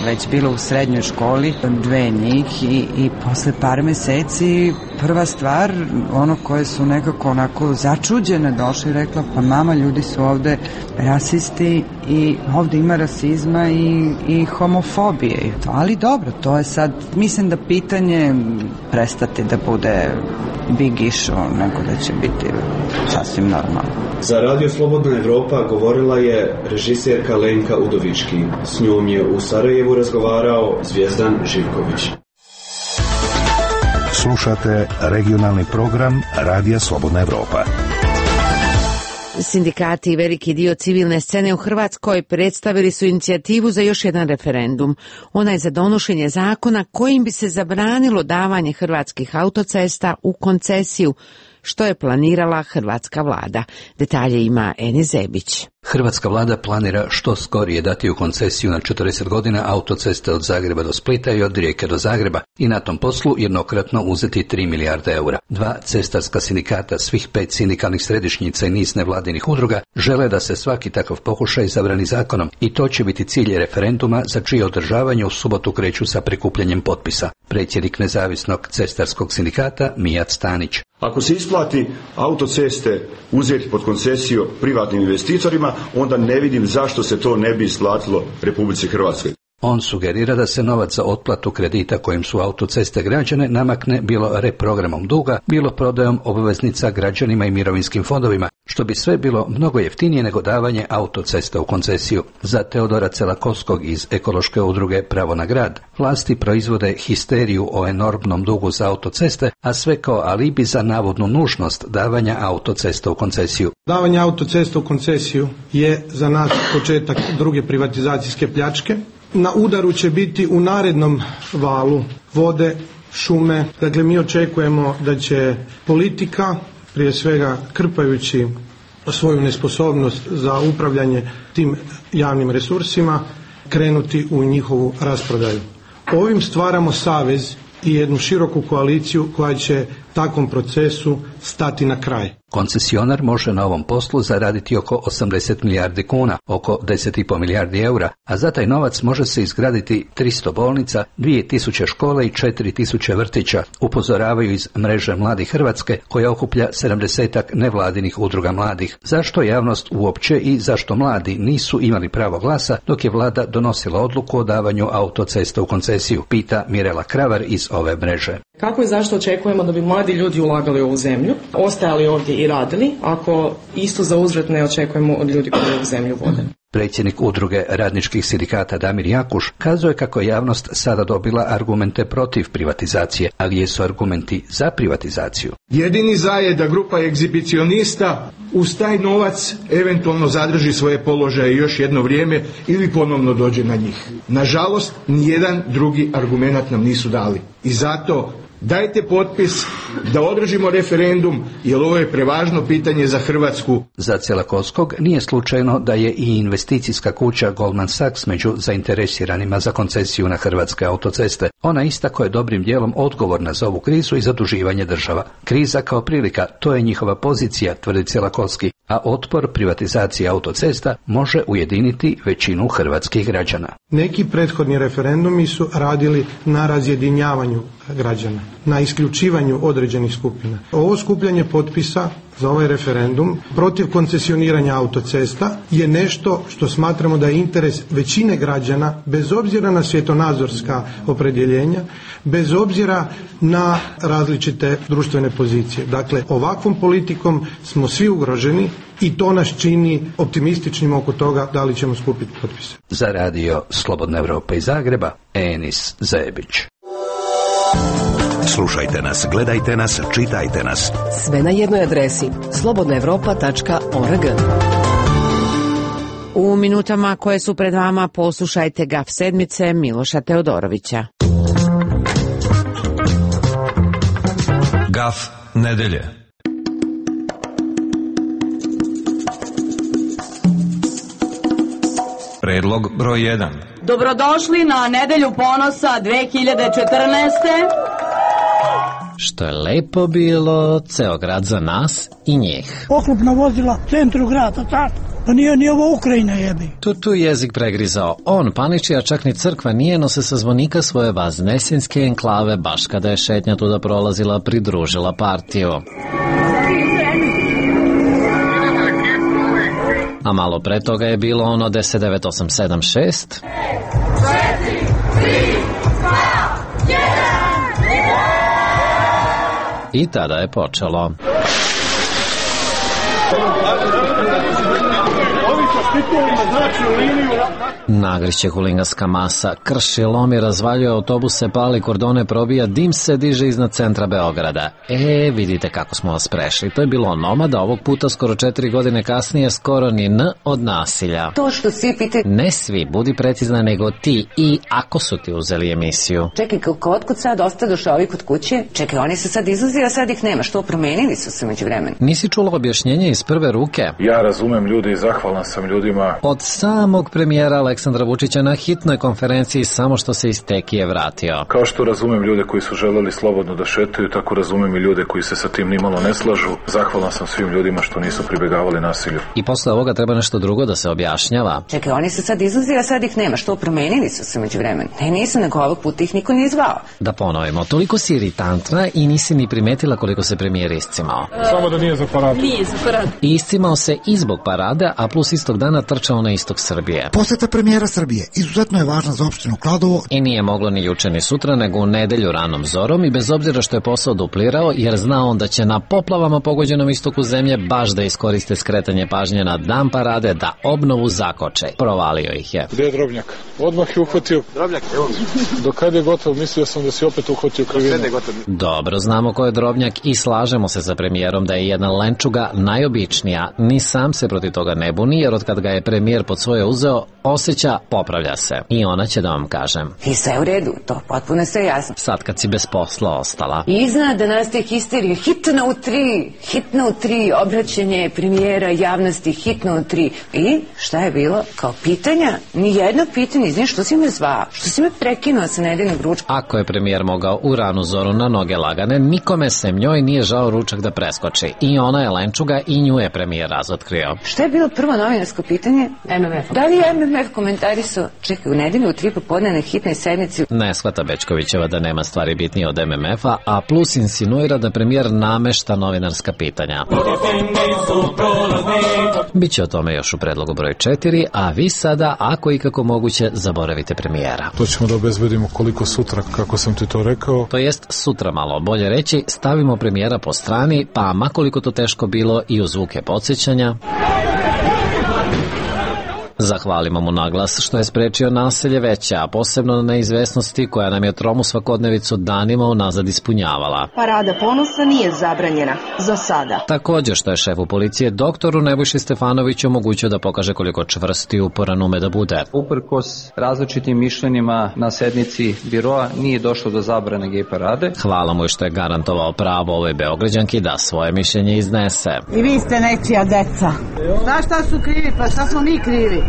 već bilo u srednjoj školi, dve njih i, i posle par meseci prva stvar, ono koje su nekako onako začuđene došli i rekla, pa mama, ljudi su ovde rasisti i ovde ima rasizma i, i homofobije. Ali dobro, to je sad, mislim da pitanje prestati da bude big issue, nego da će biti sasvim normalno. Za Radio Slobodna Evropa govorila je režiserka Lenka Udovički. S njom je u Sarajevu razgovarao Zvijezdan Živković. Slušate regionalni program Radija Slobodna Evropa. Sindikati i veliki dio civilne scene u Hrvatskoj predstavili su inicijativu za još jedan referendum. Ona je za donošenje zakona kojim bi se zabranilo davanje hrvatskih autocesta u koncesiju, što je planirala hrvatska vlada. Detalje ima Eni Zebić. Hrvatska vlada planira što skorije dati u koncesiju na četrdeset godina autoceste od Zagreba do Splita i od Rijeke do Zagreba i na tom poslu jednokratno uzeti tri milijarde eura. Dva cestarska sindikata, svih pet sindikalnih središnjica i niz nevladinih udruga žele da se svaki takav pokušaj zabrani zakonom i to će biti cilj referenduma za čije održavanje u subotu kreću sa prikupljanjem potpisa. Predsjednik nezavisnog cestarskog sindikata Mijat Stanić. Ako se isplati autoceste uzeti pod koncesiju privatnim investitorima, onda ne vidim zašto se to ne bi isplatilo Republici Hrvatskoj. On sugerira da se novac za otplatu kredita kojim su autoceste građane namakne bilo reprogramom duga, bilo prodajom obveznica građanima i mirovinskim fondovima, što bi sve bilo mnogo jeftinije nego davanje autocesta u koncesiju. Za Teodora Celakovskog iz ekološke udruge Pravo na grad, vlasti proizvode histeriju o enormnom dugu za autoceste, a sve kao alibi za navodnu nužnost davanja autocesta u koncesiju. Davanje autocesta u koncesiju je za nas početak druge privatizacijske pljačke. Na udaru će biti u narednom valu vode, šume. Dakle, mi očekujemo da će politika, prije svega krpajući svoju nesposobnost za upravljanje tim javnim resursima, krenuti u njihovu rasprodaju. Ovim stvaramo savez i jednu široku koaliciju koja će takvom procesu stati na kraj. Koncesionar može na ovom poslu zaraditi oko osamdeset milijardi kuna, oko deset i pol milijardi eura, a za taj novac može se izgraditi tristo bolnica, dvije tisuće škola i četiri tisuće vrtića, upozoravaju iz mreže Mladi Hrvatske koja okuplja sedamdesetak nevladinih udruga mladih. Zašto javnost uopće i zašto mladi nisu imali pravo glasa dok je vlada donosila odluku o davanju autocesta u koncesiju, pita Mirela Kravar iz ove mreže. Kako i zašto očekujemo da bi mladi ljudi ulagali u ovu zemlju, ostajali ovdje i radili, ako isto za uzvrat ne očekujemo od ljudi koji ovu zemlju vode? Predsjednik udruge radničkih sindikata Damir Jakuš kazuje kako je javnost sada dobila argumente protiv privatizacije, a gdje su argumenti za privatizaciju. Jedini za je da grupa egzibicionista uz taj novac eventualno zadrži svoje položaje još jedno vrijeme ili ponovno dođe na njih. Nažalost, nijedan drugi argument nam nisu dali. I zato dajte potpis da održimo referendum, jer ovo je prevažno pitanje za Hrvatsku. Za Celakovskog nije slučajno da je i investicijska kuća Goldman Sachs među zainteresiranima za koncesiju na hrvatske autoceste. Ona istako je dobrim dijelom odgovorna za ovu krizu i zaduživanje država. Kriza kao prilika, to je njihova pozicija, tvrdi Celakovski, a otpor privatizacije autocesta može ujediniti većinu hrvatskih građana. Neki prethodni referendumi su radili na razjedinjavanju građana, na isključivanju određenih skupina. Ovo skupljanje potpisa za ovaj referendum protiv koncesioniranja autocesta je nešto što smatramo da je interes većine građana, bez obzira na svjetonazorska opredjeljenja, bez obzira na različite društvene pozicije. Dakle, ovakvom politikom smo svi ugroženi i to nas čini optimističnim oko toga da li ćemo skupiti potpise. Za radio Slobodna Evropa iz Zagreba, Enis Zebić. Slušajte nas, gledajte nas, čitajte nas. Sve na jednoj adresi slobodna evropa tačka org. U minutama koje su pred vama poslušajte Gaf sedmice Miloša Teodorovića. Gaf nedelje. Predlog broj jedan. Dobrodošli na Nedelju ponosa dve hiljade četrnaeste. Što je lepo bilo, ceo grad za nas i njih. Oklopna vozila u centru grada, tako? Pa nije ni ovo Ukrajina jebi. Tu tu jezik pregrizao. On paniči, a čak ni crkva nije, no se sa zvonika svoje vaznesinske enklave, baš kada je šetnja tuda prolazila, pridružila partiju. A malo pre toga je bilo ono deset devet osam sedam šest. I tada je počelo. Nagriće huliganska masa, krši, lomi, razvaljuje autobuse, pali kordone, probija, dim se diže iznad centra Beograda. E, vidite kako smo vas prešli. To je bilo Nomada, ovog puta skoro četiri godine kasnije, skoro ni N od nasilja. To što svi pitaju... Ne svi, budi precizna, nego ti i ako su ti uzeli emisiju. Čekaj, kako otkud sad osta došao ovi kod kuće? Čekaj, oni se sad izlazi, a sad ih nema. Što, promenili su se među vremenu? Nisi čula objašnjenje iz prve ruke? Ja razumem ljudi i zahvalan sam ljudima. Od samog premijera Aleksandra Vučića na hitnoj konferenciji samo što se iz Tekije vratio. Kao što razumem ljude koji su želeli slobodno da šetaju, tako razumem i ljude koji se sa tim nimalo ne slažu. Zahvalan sam svim ljudima što nisu pribegavali nasilju. I posle ovoga treba nešto drugo da se objašnjava. Čekaj, oni se sad izlazi, a sad ih nema. Što, promenili su se među vremenu? Ne, nisu, nego ovog puta ih niko nije zvao. Da ponovimo, toliko si iritantna i nisi ni primetila koliko se premijer iscimao. Samo da nije za paradu. Nije za paradu. I iscimao se i zbog parade, a plus istog dana trčao na istok Srbije. Poseta premijera Srbije izuzetno je važna za opštinu Kladovo. I nije moglo ni juče ni sutra, nego u nedelju ranom zorom i bez obzira što je posao duplirao, jer znao on da će na poplavama pogođenom istoku zemlje baš da iskoriste skretanje pažnje na dan parade da obnovu zakoče. Provalio ih je. Gde je Drobnjak? Odmah je uhvatio. Drobnjak, evo. Do kada je gotov, mislio sam da si opet uhvatio krivinu. Dobro, znamo ko je Drobnjak i slažemo se sa premijerom da je jedna lenčuga najobičnija. Ni sam se protiv toga ne buni, jer od kad ga je premijer pod svoje uzeo, osjeća, popravlja se. I ona će da vam kažem. I sve u redu, to potpuno sve jasno. Sad kad si bez posla ostala. I iznad da nastaje histerija, hitno u tri, hitno u tri, obraćanje premijera javnosti, hitno u tri. I šta je bilo? Kao pitanja? Nijedno pitanje, izvini, što si me zvao? Što si me prekinuo sa nedeljnog ručka? Ako je premijer mogao u ranu zoru na noge lagane, nikome sem njoj nije žao ručak da preskoči. I ona je lenčuga i nju je premijer razotkrio. Šta je bilo prvo novinarsko pitanje? M M F. Da li je M M F komentarisao? Čekaj, u nedelju u tri popodne na hitnoj sednici. Ne shvata Bećkovićeva da nema stvari bitnije od M M F-a, a plus insinuira da premijer namešta novinarska pitanja. Biće o tome još u predlogu broj četiri, a vi sada, ako i kako moguće, zaboravite premijera. To ćemo da obezbedimo koliko sutra, kako sam ti to rekao. To jest sutra malo, bolje reći, stavimo premijera po strani, pa makoliko to teško bilo i u zvuke podsjećanja. Zahvalimo mu naglas što je sprečio nasilje veće, a posebno na neizvesnosti koja nam je tromu svakodnevicu danima unazad ispunjavala. Parada ponosa nije zabranjena, za sada. Također što je šefu policije doktoru Nebojši Stefanoviću omogućio da pokaže koliko čvrst i uporan ume da bude. Uprkos različitim mišljenjima na sednici biroa nije došlo do zabrane gej parade. Hvala mu što je garantovao pravo ovoj Beograđanki da svoje mišljenje iznese. I vi ste nečija deca. Znaš šta su krivi, pa šta smo mi krivi?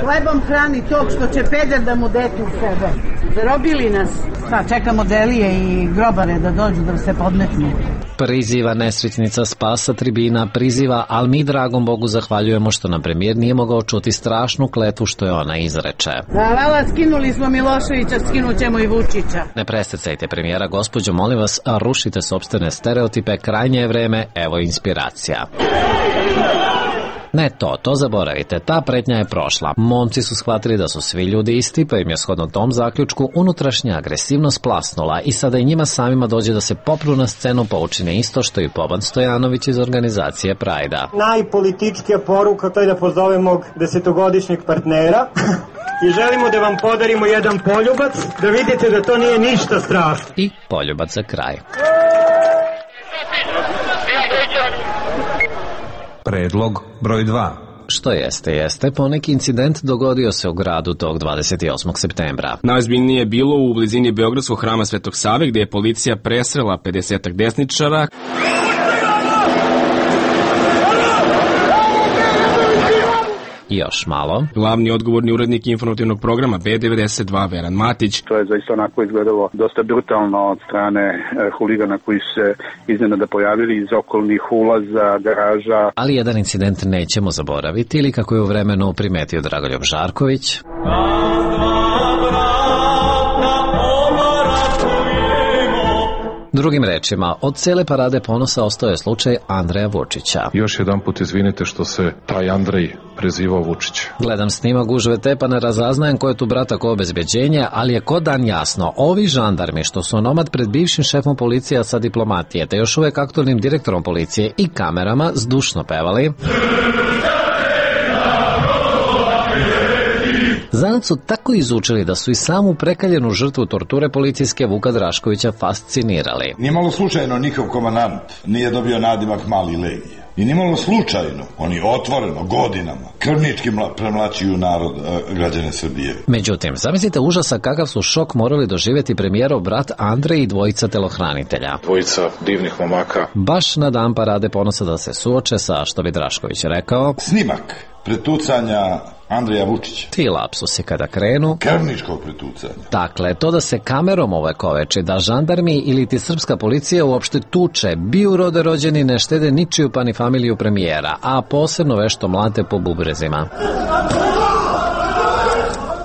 Hlebom hrani tog što će peder da mu dete u sebe. Zarobili nas. Pa čekamo delije i grobare da dođu da se podmetnu. Priziva nesretnica Spasa tribina, priziva, ali mi dragom Bogu zahvaljujemo što nam premijer nije mogao čuti strašnu kletvu što je ona izreče. Da, vala, skinuli smo Miloševića, skinut ćemo i Vučića. Ne presecajte premijera, gospođo, molim vas, rušite sopstvene stereotipe, krajnje je vreme, evo inspiracija. Ne to, to zaboravite, ta pretnja je prošla. Momci su shvatili da su svi ljudi isti, pa im je shodno tom zaključku unutrašnja agresivnost plasnula i sada i njima samima dođe da se popru na scenu pa učine isto što i Boban Stojanović iz organizacije Prajda. Najpolitičkija poruka to je da pozovemo desetogodišnjeg partnera i želimo da vam podarimo jedan poljubac, da vidite da to nije ništa strašno. I poljubac za kraj. Predlog broj dva. Što jeste, jeste, poneki incident dogodio se u gradu tog dvadeset osmog septembra. Najozbiljnije je bilo u blizini Beogradskog hrama Svetog Save, gdje je policija presrela pedesetak desničara. Još malo. Glavni odgovorni urednik informativnog programa B devedeset dva Veran Matić. To je zaista onako izgledalo dosta brutalno od strane e, huligana koji su se iznenada pojavili iz okolnih ulaza, garaža. Ali jedan incident nećemo zaboraviti ili kako je u vremenu primetio Dragoljub Žarković. Drugim rečima, od cele parade ponosa ostao je slučaj Andreja Vučića. Još jedan put izvinite što se taj Andrej prezivao Vučić. Gledam snimak gužve te pa ne razaznajem ko je tu brata ko obezbeđenje, ali je ko dan jasno, ovi žandarmi što su onomad pred bivšim šefom policije sa diplomatije, te još uvek aktualnim direktorom policije i kamerama zdušno pevali. Zanat su tako izučili da su i samu prekaljenu žrtvu torture policijske Vuka Draškovića fascinirali. Nije malo slučajno njihov komandant nije dobio nadimak Mali Legija. I nimalo slučajno, oni otvoreno, godinama, krvnički premlaćuju narod, građane Srbije. Međutim, zamislite užasa kakav su šok morali doživjeti premijerov brat Andrej i dvojica telohranitelja. Dvojica divnih momaka. Baš na dan Parade ponosa da se suoče sa, što bi Drašković rekao, snimak pretucanja Andreja Vučića. Ti lapsusi kada krenu. Krvničkog pretucanja. Dakle, to da se kamerom ovekoveči, da žandarmi ili ti srpska policija uopšte tuče, biju rode rođeni, ne štede ničiju pa ni familiju premijera, a posebno vešto mlate po bubrezima.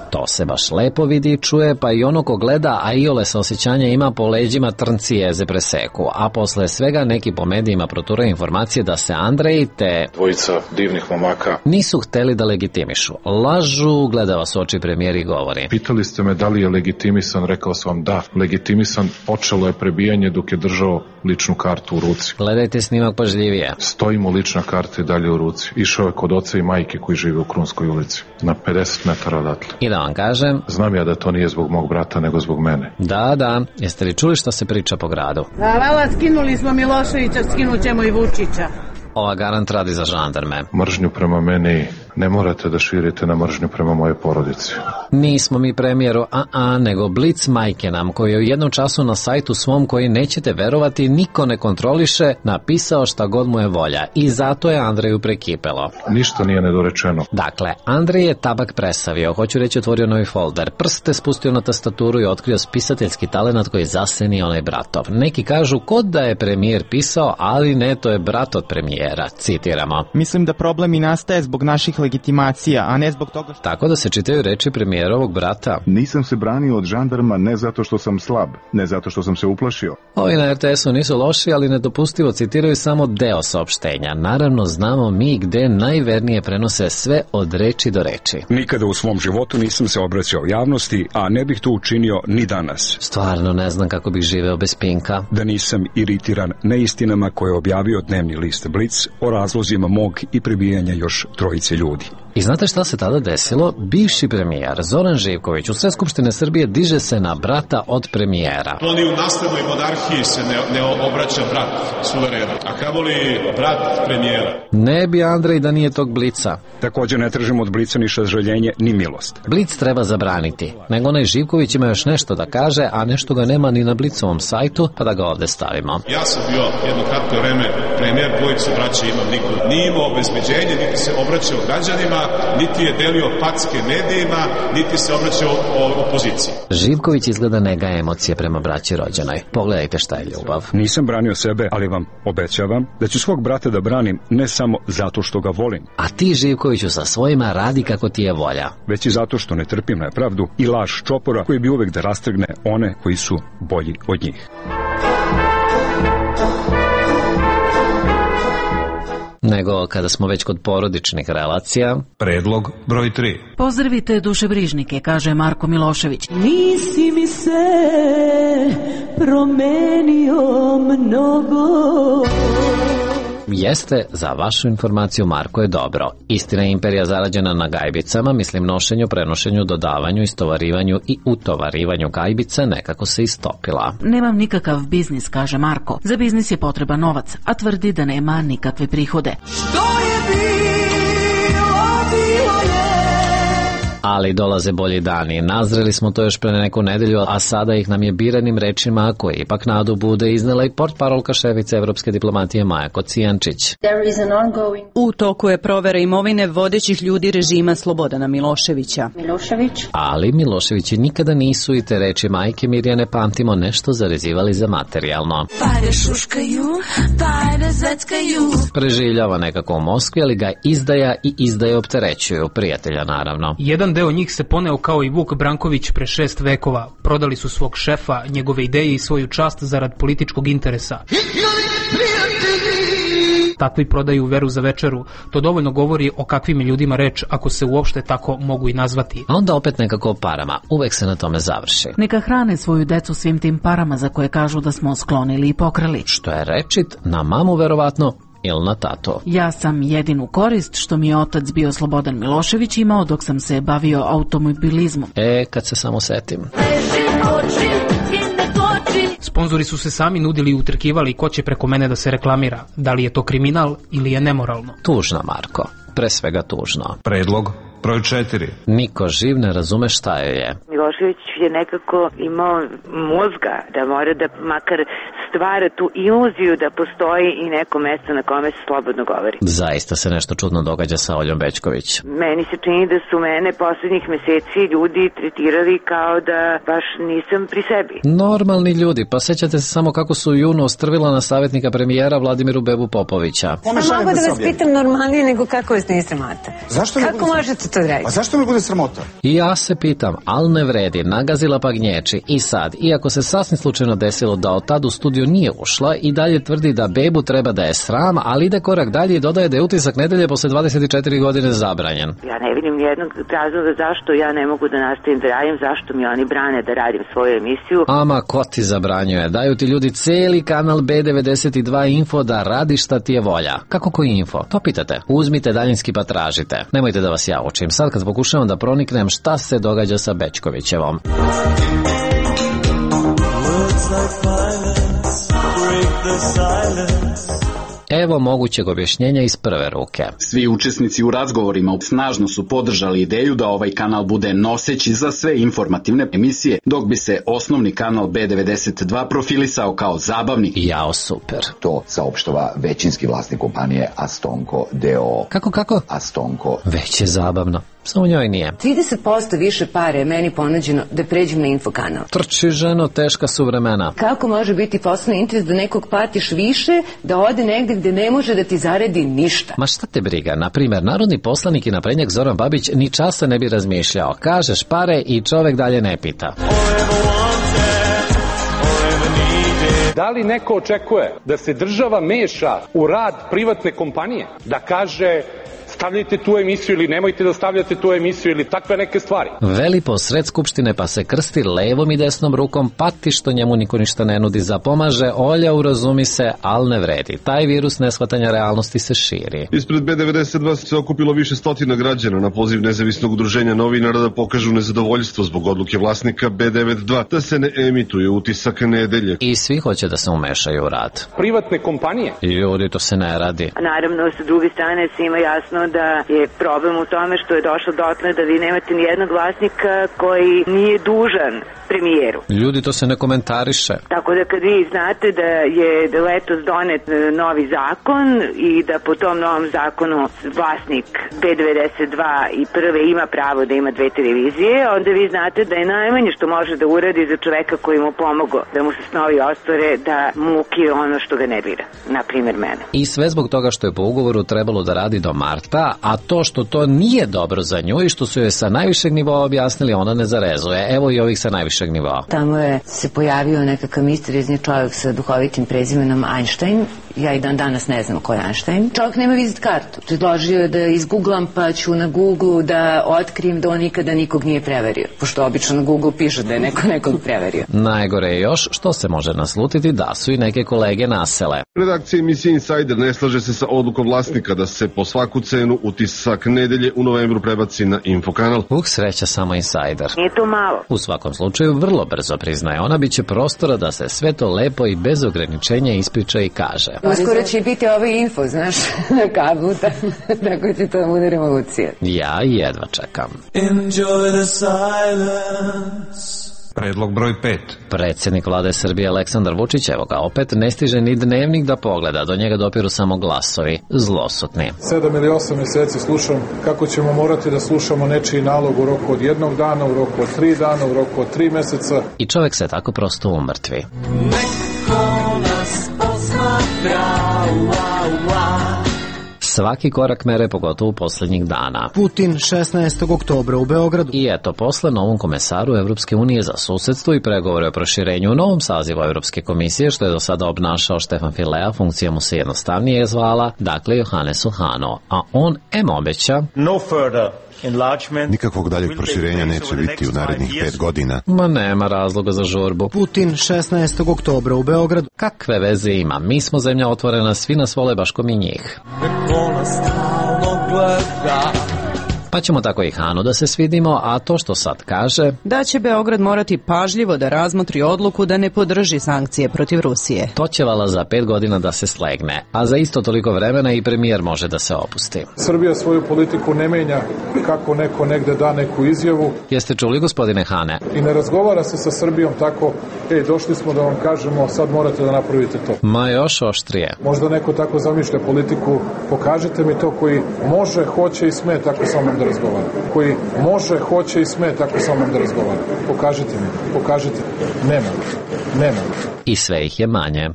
To se baš lepo vidi i čuje, pa i ono ko gleda, a iole sa osjećanja ima po leđima trnci jeze preseku, a posle svega neki po medijima protura informacije da se Andrej te dvojica divnih momaka nisu hteli da legitimišu. Lažu, gleda vas oči premijer i govori. Pitali ste me da li je legitimisan, rekao sam vam da, legitimisan, počelo je prebijanje dok je držao ličnu kartu u ruci. Gledajte snimak pažljivije. Stoji mu lična karta i dalje u ruci. Išao je kod oca i majke koji žive u Krunskoj ulici, na pedeset metara odatle. I da vam kažem, znam ja da to nije zbog mog brata, nego zbog mene. Da, da, jeste li čuli što se priča po gradu? Hvala, skinuli smo Miloševića, skinut ćemo i Vučića. Ova garant radi za žandarme. Mržnju prema meni ne morate da širite na mržnju prema moje porodici. Nismo mi premijeru, a a, nego Blic majke nam, koji je u jednom času na sajtu svom, koji nećete verovati, niko ne kontroliše, napisao šta god mu je volja. I zato je Andreju prekipelo. Ništa nije nedorečeno. Dakle, Andrej je tabak presavio, hoću reći otvorio novi folder, prste spustio na tastaturu i otkrio spisateljski talenat koji zaseni onaj bratov. Neki kažu kod da je premijer pisao, ali ne, to je brat od premijera. Citiramo. Mislim da problem i nastaje zbog naših legitimacija, a ne zbog toga što... Tako da se čitaju reči premijerovog brata. Nisam se branio od žandarma ne zato što sam slab, ne zato što sam se uplašio. Ovi na er te esu nisu loši, ali nedopustivo citiraju samo deo saopštenja. Naravno, znamo mi gde najvernije prenose sve od reči do reči. Nikada u svom životu nisam se obraćao javnosti, a ne bih to učinio ni danas. Stvarno ne znam kako bih živeo bez Pinka. Da nisam iritiran neistinama koje je objavio dnevni list Blic o razlozima mog i prebijanja još trojice ljudi. I znate šta se tada desilo? Bivši premijer Zoran Živković u Sve skupštine Srbije diže se na brata od premijera. To ni u naslednoj monarhiji se ne, ne obraća brat suverena, a kamoli brat premijera. Ne bi Andrej da nije tog Blica. Također ne tražimo od Blica ni sažaljenje ni milost. Blic treba zabraniti, nego onaj Živković ima još nešto da kaže, a nešto ga nema ni na Blicovom sajtu, pa da ga ovde stavimo. Ja sam bio jedno kratko vreme premijer, dvojicu braća imam, niko nije imao obezbeđenje, niti se obraćao građanima, niti je delio packe medijima, niti se obraćao opoziciji. Živković izgleda ne gaje emocije prema braći rođenoj. Pogledajte šta je ljubav. Nisam branio sebe, ali vam obećavam da ću svog brata da branim ne samo zato što ga volim. A ti, Živkoviću, sa svojima radi kako ti je volja. Već i zato što ne trpim nepravdu i laž čopora koji bi uvek da rastrgne one koji su bolji od njih. Nego kada smo već kod porodičnih relacija. Predlog broj tri. Pozdravite dušebrižnike, kaže Marko Milošević. Nisi mi se promenio mnogo. Jeste, za vašu informaciju, Marko je dobro. Istina je imperija zarađena na gajbicama, mislim nošenju, prenošenju, dodavanju, istovarivanju i utovarivanju gajbice nekako se istopila. Nemam nikakav biznis, kaže Marko. Za biznis je potreban novac, a tvrdi da nema nikakve prihode. Što je bilo, bilo je. Ali dolaze bolji dani. Nazreli smo to još pre neku nedelju, a sada ih nam je biranim rečima, koje ipak nadu bude, iznela i portparolka šefice evropske diplomatije Maja Kocijančić. U toku je provera imovine vodećih ljudi režima Slobodana Miloševića. Milošević. Ali Miloševići nikada nisu, i te reči majke Mirjane pamtimo, nešto zarezivali za materijalno. Pare šuškaju, pare zveckaju. Preživljava nekako u Moskvi, ali ga izdaja i izdaje opterećuju, prijatelja naravno. Jedan deo njih se poneo kao i Vuk Branković pre šest vekova. Prodali su svog šefa, njegove ideje i svoju čast zarad političkog interesa. Takvi prodaju veru za večeru. To dovoljno govori o kakvim ljudima reč, ako se uopšte tako mogu i nazvati. A onda opet nekako o parama. Uvek se na tome završi. Neka hrane svoju decu svim tim parama za koje kažu da smo sklonili i pokrali. Što je rečit, na mamu verovatno, ili na tatu. Ja sam jedinu korist što mi je otac bio Slobodan Milošević imao dok sam se bavio automobilizmom. E, kad se samo setim. Sponzori su se sami nudili i utrkivali ko će preko mene da se reklamira. Da li je to kriminal ili je nemoralno? Tužno, Marko. Pre svega tužno. Predlog broj četiri. Niko živ ne razume šta joj je. Milošević je nekako imao mozga da mora da makar stvara tu iluziju da postoji i neko mesto na kome se slobodno govori. Zaista se nešto čudno događa sa Oljom Bećković. Meni se čini da su mene poslednjih meseci ljudi tretirali kao da baš nisam pri sebi. Normalni ljudi, pa sećate se samo kako su u junu ostrvila na savjetnika premijera Vladimiru Bebu Popovića. Ja mogu da vas pitam normalnije nego kako vas ne sramota. Zašto kako možete to raditi? A zašto mi bude sramota? I ja se pitam, al ne vredi, nagazila pa gnječi. I sad, iako se sasvim slučajno desilo da od tad u studiju nije ušla, i dalje tvrdi da Bebu treba da je sram, ali ide korak dalje i dodaje da je utisak nedelje posle dvadeset četiri godine zabranjen. Ja ne vidim nijednog razloga zašto ja ne mogu da nastavim da radim, zašto mi oni brane da radim svoju emisiju. Ama, ko ti zabranjuje? Daju ti ljudi celi kanal B devedeset dva Info da radi šta ti je volja. Kako koji info? To pitate. Uzmite daljinski pa tražite. Nemojte da vas ja učim. Sad kad pokušavam da proniknem šta se događa sa Bećkovićevom. Evo mogućeg objašnjenja iz prve ruke. Svi učesnici u razgovorima snažno su podržali ideju da ovaj kanal bude noseći za sve informativne emisije, dok bi se osnovni kanal B devedeset dva profilisao kao zabavni. Jao, super. To saopštava većinski vlasnik kompanije Astonko D O O. Kako, kako? Astonko. Već je zabavno. Samo njoj nije. trideset posto više pare je meni ponuđeno da pređem na infokanal. Trči, ženo, teška su vremena. Kako može biti poslovni interes da nekog platiš više, da ode negde gde ne može da ti zaradi ništa? Ma šta te briga? Naprimer, narodni poslanik i naprednjak Zoran Babić ni časa ne bi razmišljao. Kažeš pare i čovek dalje ne pita. Da li neko očekuje da se država meša u rad privatne kompanije? Da kaže stavljajte tu emisiju ili nemojte da stavljate tu emisiju ili takve neke stvari. Veli po sred skupštine pa se krsti levom i desnom rukom, pati što njemu niko ništa ne nudi, zapomaže, Olja urazumi se, al ne vredi. Taj virus neshvatanja realnosti se širi. Ispred B devedeset dva se okupilo više stotina građana na poziv nezavisnog udruženja novinara da pokažu nezadovoljstvo zbog odluke vlasnika B devedeset dva da se ne emituje utisak nedelje. I svi hoće da se umešaju u rad. Privatne kompanije? Ljudi, to se ne radi. Naravno, sa druge strane svima jasno da je problem u tome što je došlo dotle da vi nemate ni jednog vlasnika koji nije dužan premijeru. Ljudi, to se ne komentariše. Tako da kad vi znate da je letos donet novi zakon i da po tom novom zakonu vlasnik B devedeset dva i prve ima pravo da ima dve televizije, onda vi znate da je najmanje što može da uradi za čoveka koji mu pomogo da mu se snovi ostvare, da mu ukije ono što ga ne bira, na primjer mene. I sve zbog toga što je po ugovoru trebalo da radi do marta, a to što to nije dobro za nju i što su joj sa najvišeg nivoa objasnili, ona ne zarezuje. Evo i ovih sa najvišeg nivoa. Tamo je se pojavio nekakav misteriozni čovjek sa duhovitim prezimenom Einstein. Ja i dan danas ne znam ko je Einstein. Čovjek nema vizit kartu. Predložio je da izgooglam, pa ću na Google da otkrijem da on nikada nikog nije preverio. Pošto obično na Google piše da je neko nekog preverio. Najgore je još što se može naslutiti da su i neke kolege nasele. Redakcija emisije Insider ne slaže se sa odlukom vlasnika da se po svaku cenu utisak nedelje u novembru prebaci na Infokanal. Uh, sreća samo Insider. Nije to malo. U svakom slučaju vrlo brzo priznaje ona, biće prostora da se sve to lepo i bez ograničenja ispriča i kaže. Uskoro će biti ovaj info, znaš, na kablu, tako će to bude revolucija. Ja jedva čekam. Enjoy the silence. Predlog broj pet. Predsjednik vlade Srbije Aleksandar Vučić, evo ga opet, ne stiže ni dnevnik da pogleda, do njega dopiru samo glasovi, zlosutni. Sedam ili osam mjeseci slušam kako ćemo morati da slušamo nečiji nalog u roku od jednog dana, u roku od tri dana, u roku od tri meseca. I čovjek se tako prosto umrtvi. Neko nas posmatra, ua, ua. svaki korak mere, pogotovo poslednjih dana. Putin šesnaestog oktobra u Beogradu. I eto, posle novom komesaru Evropske unije za susedstvo i pregovore o proširenju u novom sazivu Evropske komisije, što je do sada obnašao Štefan Filea, funkcija mu se jednostavnije zvala, dakle Johannes Hano, a on em obeća no further. Nikakvog daljeg proširenja neće biti u narednih pet godina. Ma nema razloga za žurbu. Putin šesnaestog oktobra u Beogradu. Kakve veze ima? Mi smo zemlja otvorena, svi nas vole baš ko mi njih. Pa ćemo tako i Hanu da se svidimo, a to što sad kaže... Da će Beograd morati pažljivo da razmotri odluku da ne podrži sankcije protiv Rusije. To će vala za pet godina da se slegne, a za isto toliko vremena i premijer može da se opusti. Srbija svoju politiku ne menja kako neko negde da neku izjavu. Jeste čuli, gospodine Hane? I ne razgovara se sa Srbijom tako, ej, došli smo da vam kažemo, sad morate da napravite to. Ma još oštrije. Možda neko tako zamišlja politiku, pokažite mi to koji može, hoće i sme tako sa mnom da razgovara. Koji može, hoće i sme tako sa mnom da razgovara. Pokažite mi, pokažite. Nema, nema. I sve ih je manje.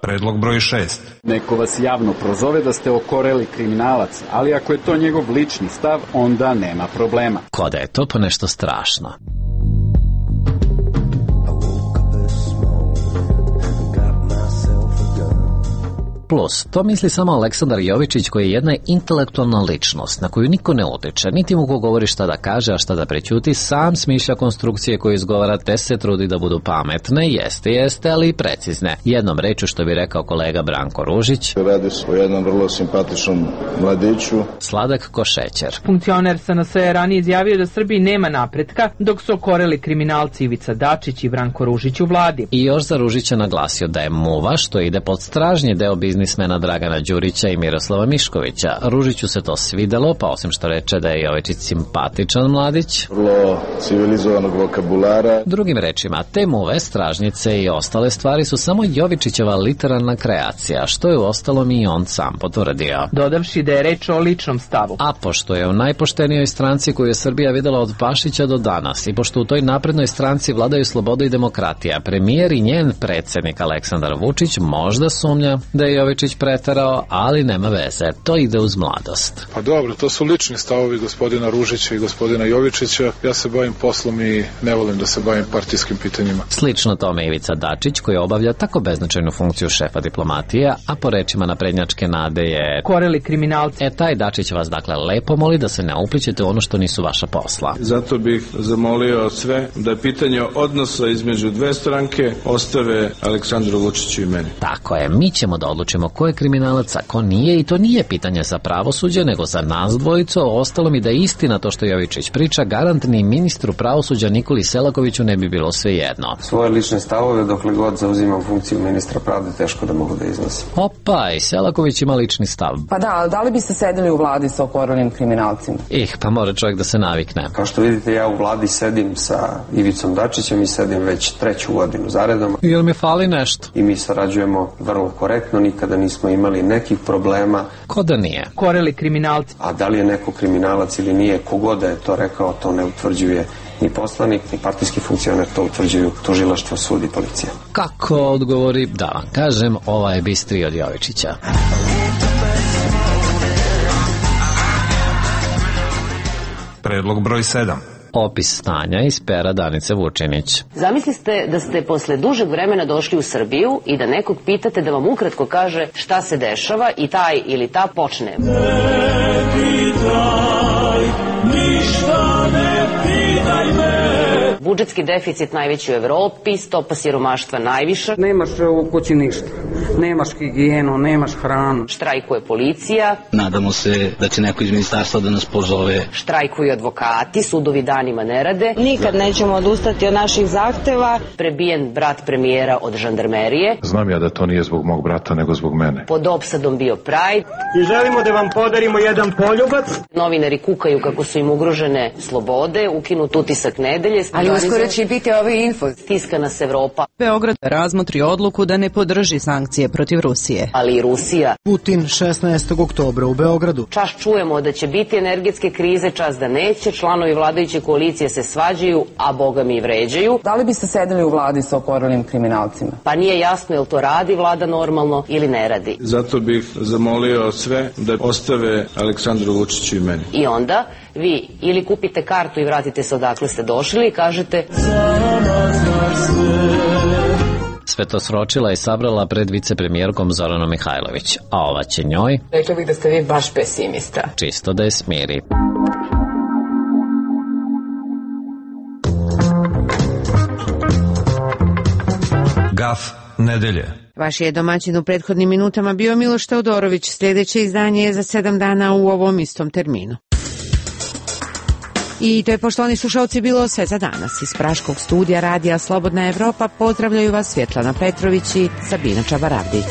Predlog broj šest. Neko vas javno prozove da ste okoreli kriminalac, ali ako je to njegov lični stav, onda nema problema. Ko da je to po nešto strašno. Plus, to misli samo Aleksandar Jovičić, koji je jedna intelektualna ličnost na koju niko ne utiče, niti mu ko govori šta da kaže, a šta da prećuti, sam smišlja konstrukcije koje izgovara, te se trudi da budu pametne, jeste, jeste, ali i precizne. Jednom rečju, što bi rekao kolega Branko Ružić, radi se o jednom vrlo simpatičnom mladiću. Sladak ko šećer. Funkcioner S N S je ranije izjavio da Srbiji nema napretka, dok su okoreli kriminalci Ivica Dačić i Branko Ružić u vladi. I još za Ružića naglasio da je muva, što ide pod stražnji deo biznismena Dragana Đurića i Miroslava Miškovića. Ružiću se to svidelo, pa osim što reče da je Jovičić simpatičan mladić, vrlo civilizovanog vokabulara. Drugim rečima, te muve, stražnjice i ostale stvari su samo Jovičićeva literarna kreacija, što je u ostalom i on sam potvrdio. Dodavši da je reč o ličnom stavu. A pošto je u najpoštenijoj stranci koju je Srbija videla od Pašića do danas i pošto u toj naprednoj stranci vladaju sloboda i demokratija, premijer i njen predsjednik Aleksandar Vučić možda sumnja da je Jovičić preterao, ali nema veze, to ide uz mladost. Pa dobro, to su lični stavovi gospodina Ružića i gospodina Jovičića. Ja se bavim poslom i ne volim da se bavim partijskim pitanjima. Slično tome Ivica Dačić, koji obavlja tako beznačajnu funkciju šefa diplomatije, a po rečima naprednjačke Nade je koreli kriminalci. E, taj Dačić vas dakle lepo moli da se ne uplićete u ono što nisu vaša posla. Zato bih zamolio sve da je pitanje odnosa između dve stranke ostave Aleksandru Vučiću i meni. Tako je, mi ćemo da odlučimo ko je kriminalac, a ko nije, i to nije pitanje za pravosuđe, nego za nas dvojicu. Ostalo mi da je istina to što Jovičić priča, garant ni ministru pravosuđa Nikoli Selakoviću ne bi bilo sve jedno. Svoje lične stavove dokle god zauzimam funkciju ministra pravde teško da mogu da iznosim. Opa, i Selaković ima lični stav. Pa da, ali da li biste sedeli u vladi sa okorelim kriminalcima? Ih, pa mora čovjek da se navikne. Kao što vidite, ja u vladi sedim sa Ivicom Dačićem i sedim već treću godinu zaredom. Jel mi fali nešto? I mi sarađujemo vrlo korektno, nikada nismo imali nekih problema. Ko da nije? Koreli kriminalci. A da li je neko kriminalac ili nije, kogoda je to rekao, to ne utvrđuje ni poslanik, ni partijski funkcioner, to utvrđuju tužilaštvo, sud i policija. Kako odgovori, da vam kažem, ova je bistri od Jovičića. Predlog broj sedam. Opis stanja iz pera Danice Vučinić. Zamisliste da ste posle dužeg vremena došli u Srbiju i da nekog pitate da vam ukratko kaže šta se dešava i taj ili ta počne. Ne pitaj, ništa ne pitaj me. Budžetski deficit najveći u Evropi, stopa siromaštva najviša. Nemaš u kući ništa, nemaš higijenu, nemaš hranu. Štrajkuje policija. Nadamo se da će neko iz ministarstva da nas pozove. Štrajkuju advokati, sudovi danima ne rade. Nikad nećemo odustati od naših zahteva. Prebijen brat premijera od žandarmerije. Znam ja da to nije zbog mog brata, nego zbog mene. Pod opsadom bio Pride. I želimo da vam podarimo jedan poljubac. Novinari kukaju kako su im ugrožene slobode, ukinut utisak nedelje. Ali uskoro će biti ovaj info. Tiska nas Evropa. Beograd razmotri odluku da ne podrži sankcije protiv Rusije. Ali i Rusija. Putin šesnaestog oktobra u Beogradu. Čas čujemo da će biti energetske krize, čas da neće. Članovi vladajuće koalicije se svađaju, a boga mi i vređaju. Da li biste sedeli u vladi sa okorelim kriminalcima? Pa nije jasno jel to radi vlada normalno ili ne radi. Zato bih zamolio sve da ostave Aleksandru Vučiću i meni. I onda vi ili kupite kartu i vratite se odakle ste došli i kažete Sve to sročila i sabrala pred vicepremijerkom Zoranom Mihajlović, a ova će njoj, rekla bih da ste vi baš pesimista, čisto da je smiri. Gaf nedelje. Vaš je domaćin u prethodnim minutama bio Miloš Teodorović. Sljedeće izdanje je za sedam dana u ovom istom terminu. I to je, poštovani slušalci, bilo sve za danas. Iz Praškog studija radija Slobodna Evropa pozdravljaju vas Svjetlana Petrović i Sabina Čabaravdić.